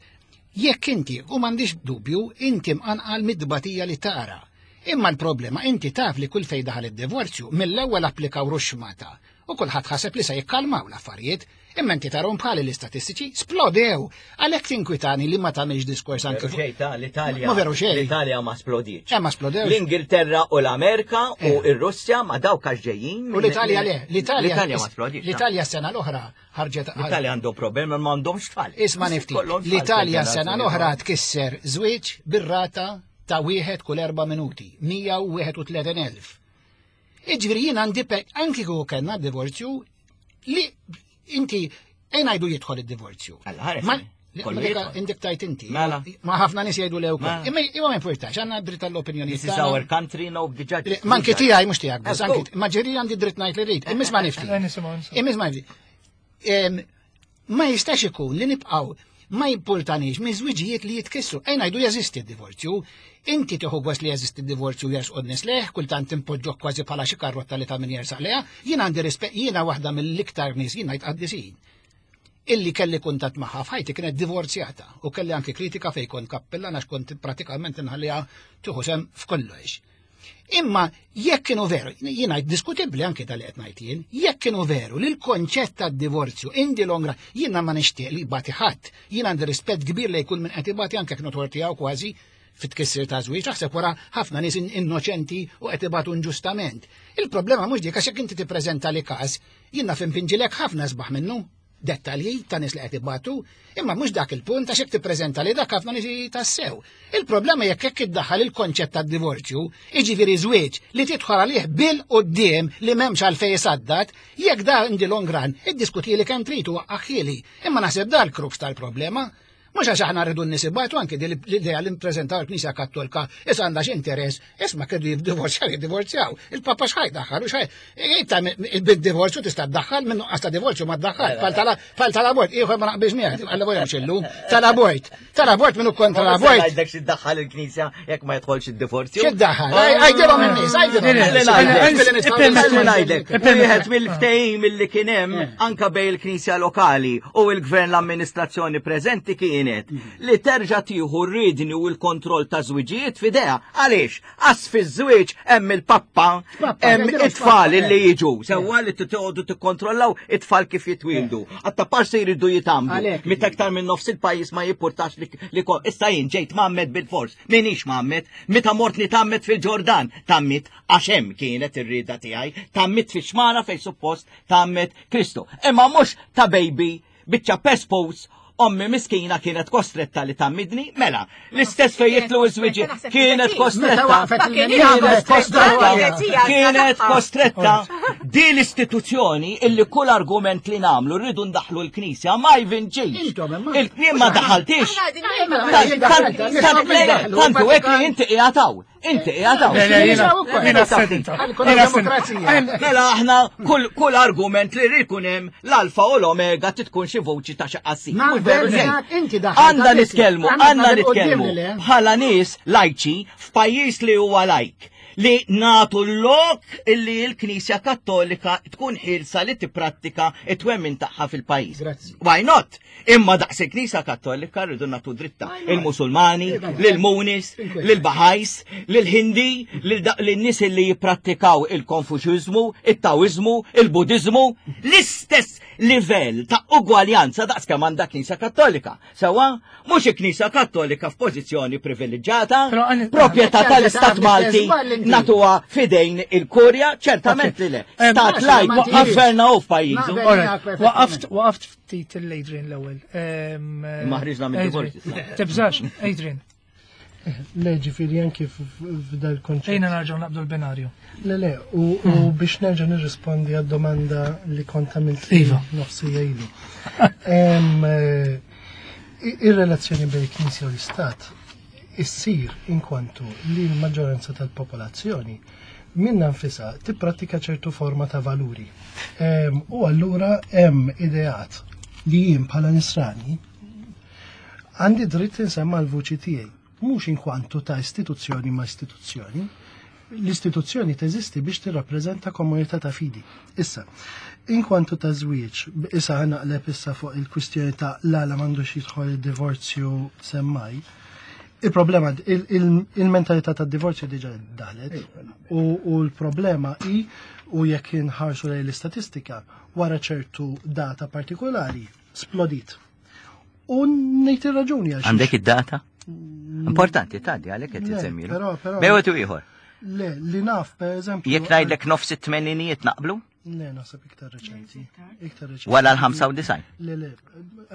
jekk inti, u m'għandix dubju, inti mqanqal mid-dbatija li tara. Imma l-problema inti taf li kull fejn daħal id-divorzju mill-ewwel applikaw ruxxmata u kulħadd ħaseb li se jikkalmaw l-affarijiet, imma inti tarhom bħali l-istatistiċi splodew. Għalhekk tinkwitani li ma tagħmilx diskors anke fuq. Xejn ta' l-Italja. Ma veru xejn. L-Italja ma splodietx. Eh, ma splodewx. L-Ingilterra u l-Amerika u eh. r-Russja ma dawk għax ġejjin. U l-Italja le, l-Italja ma splodietx. L-Italja s-sena l-oħra ħarġet. L-Italja għandhom problemi ma għandhomx tfal. Isma' nifti. L-Italja s-sena l-oħra tkisser żwieġ bir-rata ta' wieħed kull erba' minuti, 131,000. Iġviri jien għandi anki kieku kellna divorzju li inti ejn ngħidu jidħol id-divorzju. Indik tajt inti. Mela. Ma ħafna nies jgħidu lew. Mela. Imma imma ma importax, għandna dritt tal-opinjoni. This is our country, no the judge. Ma anki tiegħi mhux tiegħek, biss anki ma ġiri għandi dritt ngħid li rrid. Imma ma nifti. Imma ma nifti. Ma jistax ikun li nibqgħu ma jimpurtanix minn żwiġijiet li jitkissru. Ejn ngħidu jeżisti d-divorzju. Inti tieħu gost li jeżisti d-divorzju jersqu n-nies lejh, kultant impoġġok kważi bħala xi karrotta li ta' min jersaq lejha. Jien għandi rispett, jiena waħda mill-iktar nies jien ngħid qaddisin. Illi kelli kuntatt magħha f'ħajti kienet divorzjata u kelli anki kritika fejn kont kappillan għax kont pratikament inħalliha tieħu sehem f'kollox. Imma jekk kienu veru, jiena diskutibbli anke tal qed ngħid jien, jekk kienu veru li l-konċett tad-divorzju in the long run, jiena ma nixtieq li jbati ħadd, jiena għandi rispett kbir li jkun minn qed ibati anke kienu tortijaw kważi fit-tkissir ta' żwieġ, aħseb wara ħafna nies innoċenti u qed ibatu inġustament. Il-problema mhux dik għax jekk inti tippreżenta li każ, jiena f'impinġilek ħafna sbaħ minnu. dettalji ta' nies li qed ibatu, imma mhux dak il-punt għax jekk tippreżenta li dak ħafna nies tassew. Il-problema jekk hekk iddaħħal il-konċett tad-divorzju, jiġifieri żwieġ li tidħol għalih bil-quddiem li m'hemmx għalfejn isaddat, jekk da in the long run, iddiskutili kemm trid u waqqaħhieli, imma naħseb da l-crux tal-problema. Mhux għax aħna rridu n-nies ibatu anke din l-idea li nippreżentaw il-Knisja Kattolka issa għandha xi interess, isma' kienu jiddivorzjaw jiddivorzjaw. Il-Papa x'ħaj daħħal u x'ħaj. Inta bid-divorzju tista' ddaħħal minn nuqqas ta' divorzju ma ddaħħal. Bħal tal-abort, ieħor ma naqbilx miegħek, għalla voja xillu, tal-abort. Tal-abort minnu kontra l-abort. Għajdek xi ddaħħal il-Knisja jekk ma jidħolx id-divorzju. Xi ddaħħal? Għajdilhom in-nies, għajdilhom. Ngħidlek, wieħed mill-ftehim illi kien hemm eh. anka bejn il-Knisja lokali u l-gvern l-amministrazzjoni preżenti kienet li terġa' tieħu r-riedni u l-kontroll ta' żwiġijiet f'idejha. Għaliex? Għax fiż-żwieġ hemm il-pappa, hemm it-tfal li jiġu. Sewwa li titgħodu tikkontrollaw it-tfal kif jitwieldu. Għatta parsi jridu jitamdu. Meta aktar minn nofs il-pajjiż ma jippurtax li issa jien ġejt mgħammed bil-fors. Minix mgħammed, meta mort nitgħammed fil-Ġordan, tgħammidt għax hemm kienet ir-rieda tiegħi, tgħammidt fix-xmara fejn suppost tgħammed Kristu. Imma mhux ta' baby biċċa pespos ommi miskina kienet kostretta li tammidni, mela, l-istess fej jitlu iż-żwieġi kienet kostretta, kienet kostretta, kienet kostretta. Di l-istituzzjoni illi kull argument li namlu rridu ndaħlu l-Knisja ma jvinċix. Il-knim ma daħaltix. Tantu hekk li inti qiegħed Inti qiegħed hawn. Mela aħna kull argument li jkun hemm l-alfa u l-omega titkun xi voċi ta' xi qassi. Għandna nitkellmu, għandna nitkellmu bħala nies lajċi f'pajjiż li huwa lajk li natu l-lok illi l-Knisja Kattolika tkun ħilsa li tipprattika it-twemmin tagħha fil-pajjiż. Why not? Imma daqs il-Knisja Kattolika rridu nagħtu dritta il-Musulmani, lil-Munis, lil-Bahajs, lil-Hindi, lil-nies li jipprattikaw il-Konfuċiżmu, it-Taoiżmu, il-Budiżmu, l-istess livell ta' ugwaljanza daqs kemm għandha Knisja Kattolika. Sewwa, mhux il-Knisja Kattolika f'pożizzjoni privileġġjata, proprjetà tal-Istat Malti natuha fidejn il-Kurja, ċertament li le. Stat lajk gverna u f'pajjiżu. Waqaft waqaft ftit l-Adrian l-ewwel. Imma ħriġna mid-divorzju. Tibżax, Adrian. Le, ġifieri anki f'dal konċett. Ejna nerġgħu naqbdu l-binarju. Le, le, u hmm. biex nerġa' nirrispondi għad-domanda li kont għamilt iva. nofsija ilu. Eh, ir-relazzjoni bejn il-Knisja u l-Istat issir inkwantu li l-maġġoranza tal-popolazzjoni minna nfisha tipprattika ċertu forma ta' valuri. U allura hemm ideat li jien bħala nisrani għandi dritt insemma l-vuċi tiegħi, mhux inkwantu ta' istituzzjoni ma' istituzzjoni. L-istituzzjoni teżisti biex tirrappreżenta komunità ta' fidi. Issa, inkwantu ta' żwieġ, issa naqleb issa fuq il-kwistjoni ta' l-għala m'għandux jidħol id-divorzju semmaj. Il-problema, il-mentalità ta' divorzju diġa daħlet u l-problema hi u jekk inħarsu lejn l-istatistika wara ċertu data partikolari splodit. U ngħid ir-raġuni għax. Għandek id-data? Importanti tgħaddi għalhekk qed tisemmilu. Bewet u ieħor. Le, li naf per eżempju. Jekk ngħidlek nofs it-tmeninijiet naqblu? Le, naħseb iktar reċenti. Iktar reċenti. Wara l-95? Le, le,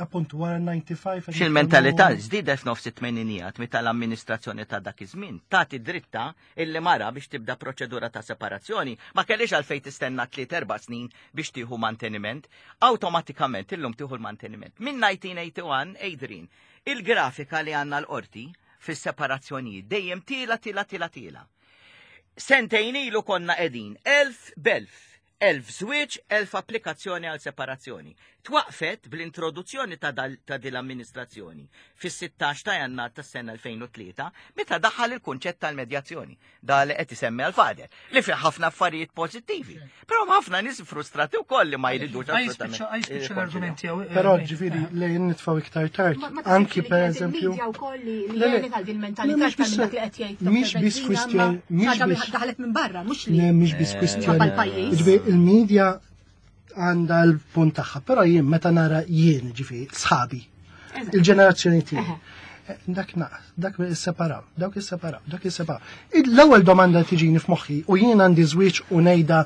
appuntu wara l-95. Xil-mentalità żdiedet f'nofs it-tmeninijat meta l-amministrazzjoni ta' dak iż-żmien tagħti dritta illi mara biex tibda proċedura ta' separazzjoni ma kellix għalfejn tistenna tliet erba' snin biex tieħu manteniment, awtomatikament illum tieħu l-manteniment. Minn 1981, Adrian, il-grafika li għandna l-qorti fis-separazzjonijiet dejjem tiela tiela tiela tiela. Sentejn ilu konna qegħdin elf b'elf, 1000 żwieġ, 1000 applikazzjoni għal separazzjoni. Twaqfet bl-introduzzjoni ta' ta' din l-amministrazzjoni fis-16 ta' Jannar tas-sena 2003 meta daħal il-kunċett tal-medjazzjoni. Da li qed isemmi għal-fader, li fih ħafna affarijiet pożittivi. Però ħafna nies frustrati wkoll li ma jridux assolutament. Għaj l-argument tiegħu. Eh, Però ġifieri li nitfgħu iktar tard, anki per eżempju. Mhix biss kwistjoni, mhix biss daħlet minn barra, mhux li. Mhix biss kwistjoni. Ġifieri il-media għandha l-punt tagħha, però jien meta nara jien ġifieri sħabi, il-ġenerazzjoni tiegħi. Eh, dak naqas, dak isseparaw, dak isseparaw, dak isseparaw. L-ewwel domanda tiġini f'moħħi u jien għandi żwieġ u ngħidha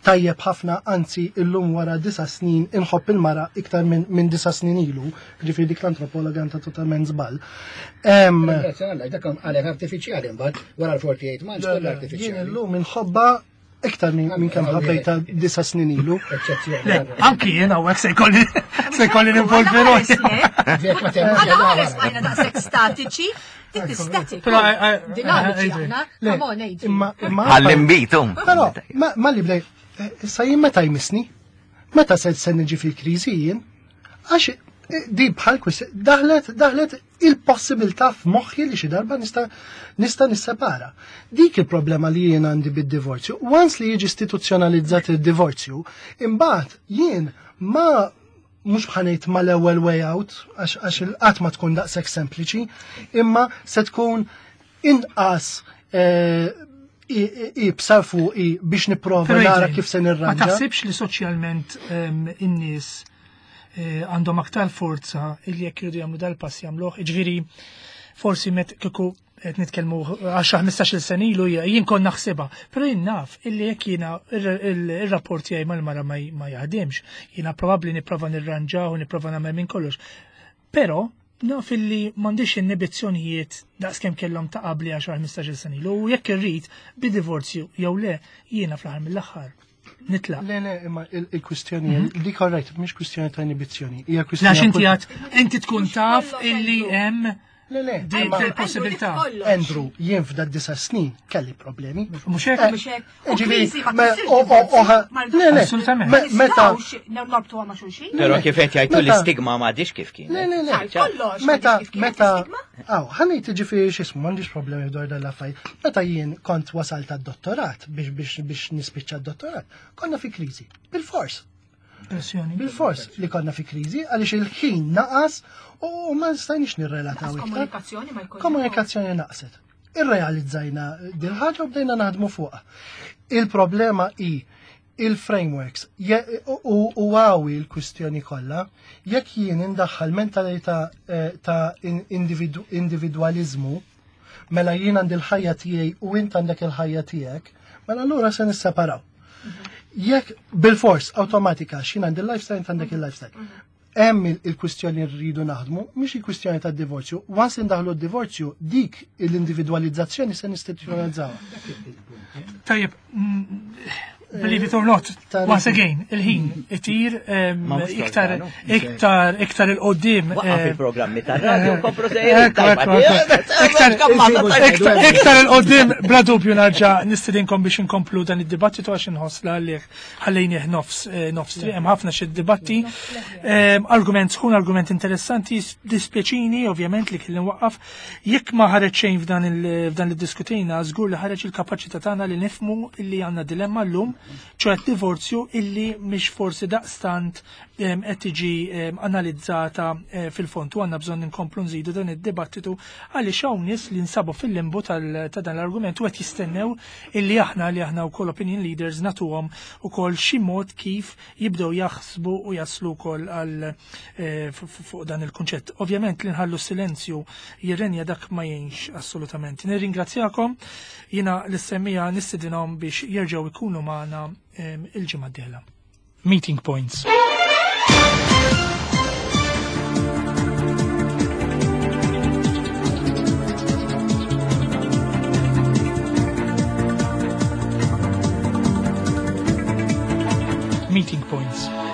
tajjeb ħafna, anzi illum wara disa snin inħobb il-mara iktar minn min disa snin ilu, ġifieri dik l-antropologa għandha totalment żball. Dak għalek artifiċjali mbagħad wara l-48 months kollha artifiċjali. Jien illum inħobbha Iktar minn kemm ħabbejta disa snin ilu. Anki jien hawnhekk se jkolli se jkolli ninvolvi ruħi. Għana ħares bajna daqshekk statiċi, dik static. Dinamiċi aħna, come on Adrian. Għall-imbitu. Però ma li bdej, eh, issa jien meta jmissni? Meta se se niġi fil-kriżi jien? Għax eh, di bħal daħlet daħlet il-possibilità f'moħħi li xi darba nista' nista' nissepara. Dik il-problema li jien għandi bid-divorzju. Once li jiġi istituzzjonalizzat id-divorzju, imbagħad jien ma mhux bħanejt ma l-ewwel way out, għax il-qatt ma tkun daqshekk sempliċi, imma se tkun inqas eh, ibsa fuqi biex nipprova nara kif se nirranġa. Ma taħsibx li soċjalment ehm, in-nies eh, għandhom aktar forza illi jekk jridu jagħmlu dal-pass jagħmluh, jiġifieri forsi met kieku qed nitkellmu 10-15 sena ilu jien kont naħsibha, però jien naf illi jekk jiena ir-rapport tiegħi mal-mara ma jaħdimx, jiena probabbli nipprova nirranġaw u nipprova nagħmel minn kollox. Però naf illi m'għandix innibizzjonijiet daqskemm kellhom ta' qabli 10-15 sena ilu u jekk irrid bi divorzju jew le jiena fl-aħħar mill-aħħar nitlaq. Le, le, imma il-kwistjoni, mhm. dik alright, mhix kwistjoni ta' inibizzjoni. Hija kwistjoni. Għax inti għad, inti tkun taf illi hemm Le, le, din il-possibilità. Andrew, jien f'dak disa snin kelli problemi. Mhux hekk? Eh, Mhux hekk. Ġifieri, le, le, Assolutament. Meta. Norbtu ma' xulxin. Però kif qed jgħidu l-istigma m'għadix kif kien. Le, le, le. Meta, meta, aw, ħanejt ġifieri x'ismu, m'għandix problemi dwar dan l-affarijiet. Meta jien kont wasalt għad-dottorat biex biex biex nispiċċa d-dottorat, konna fi kriżi. Bil-fors. Pressjoni. Bil-fors li konna fi kriżi għaliex il-ħin naqas u ma stajniex nirrelataw iktar. Komunikazzjoni ma jkunx. Komunikazzjoni naqset. Irrealizzajna din ħaġa u bdejna naħdmu fuqha. Il-problema hi il-frameworks u għawi l-kwistjoni kollha, jekk jien indaħħal mentalità eh, ta' individwaliżmu, mela jien għandi l-ħajja tiegħi u int għandek il-ħajja tiegħek, mela allura se nisseparaw. Jekk bil-fors awtomatika x'jien għandi l-lifestyle int għandek il-lifestyle. Hemm il-kwistjoni rridu naħdmu, mhix il-kwistjoni tad-divorzju. Once indaħlu d-divorzju, dik l-individwalizzazzjoni se nistituzzjonalizzaw. Tajjeb, Believe it or not, once again, il-ħin itir iktar iktar iktar il-qoddim. Waqaf il-programmi tar-radio komplu Iktar il-qoddim, bla dubju narġa' nistedinkom biex inkomplu dan id-dibattitu għax inħoss la għalih ħallejnieh nofs eh, nofs triq, hemm ħafna xi dibatti. Argument sħun, argument interessanti, dispjaċini ovvjament li kelli waqqaf. Jekk ma ħareġ xejn f'dan li diskutejna, żgur li ħareġ il-kapaċità tagħna li nifmu illi għandna dilemma llum, ċoħe divorzju illi mhix forsi daqstant qed tiġi analizzata eh, fil-fond u għandna bżonn inkomplu nżidu dan id-dibattitu għaliex hawn nies li nsabu fil-limbu ta' dan l-argument u qed jistennew illi aħna li aħna wkoll opinion leaders nagħtuhom ukoll xi mod kif jibdew jaħsbu u jaslu wkoll għal eh, fuq dan il-kunċett. Ovvjament li nħallu silenzju jirrenja dak ma jgħinx assolutament. Nirringrazzjakom jiena l-semmija nistedinhom biex jerġgħu ikunu magħna il-ġimgħa d-dieħla. Meeting Points. Meeting Points.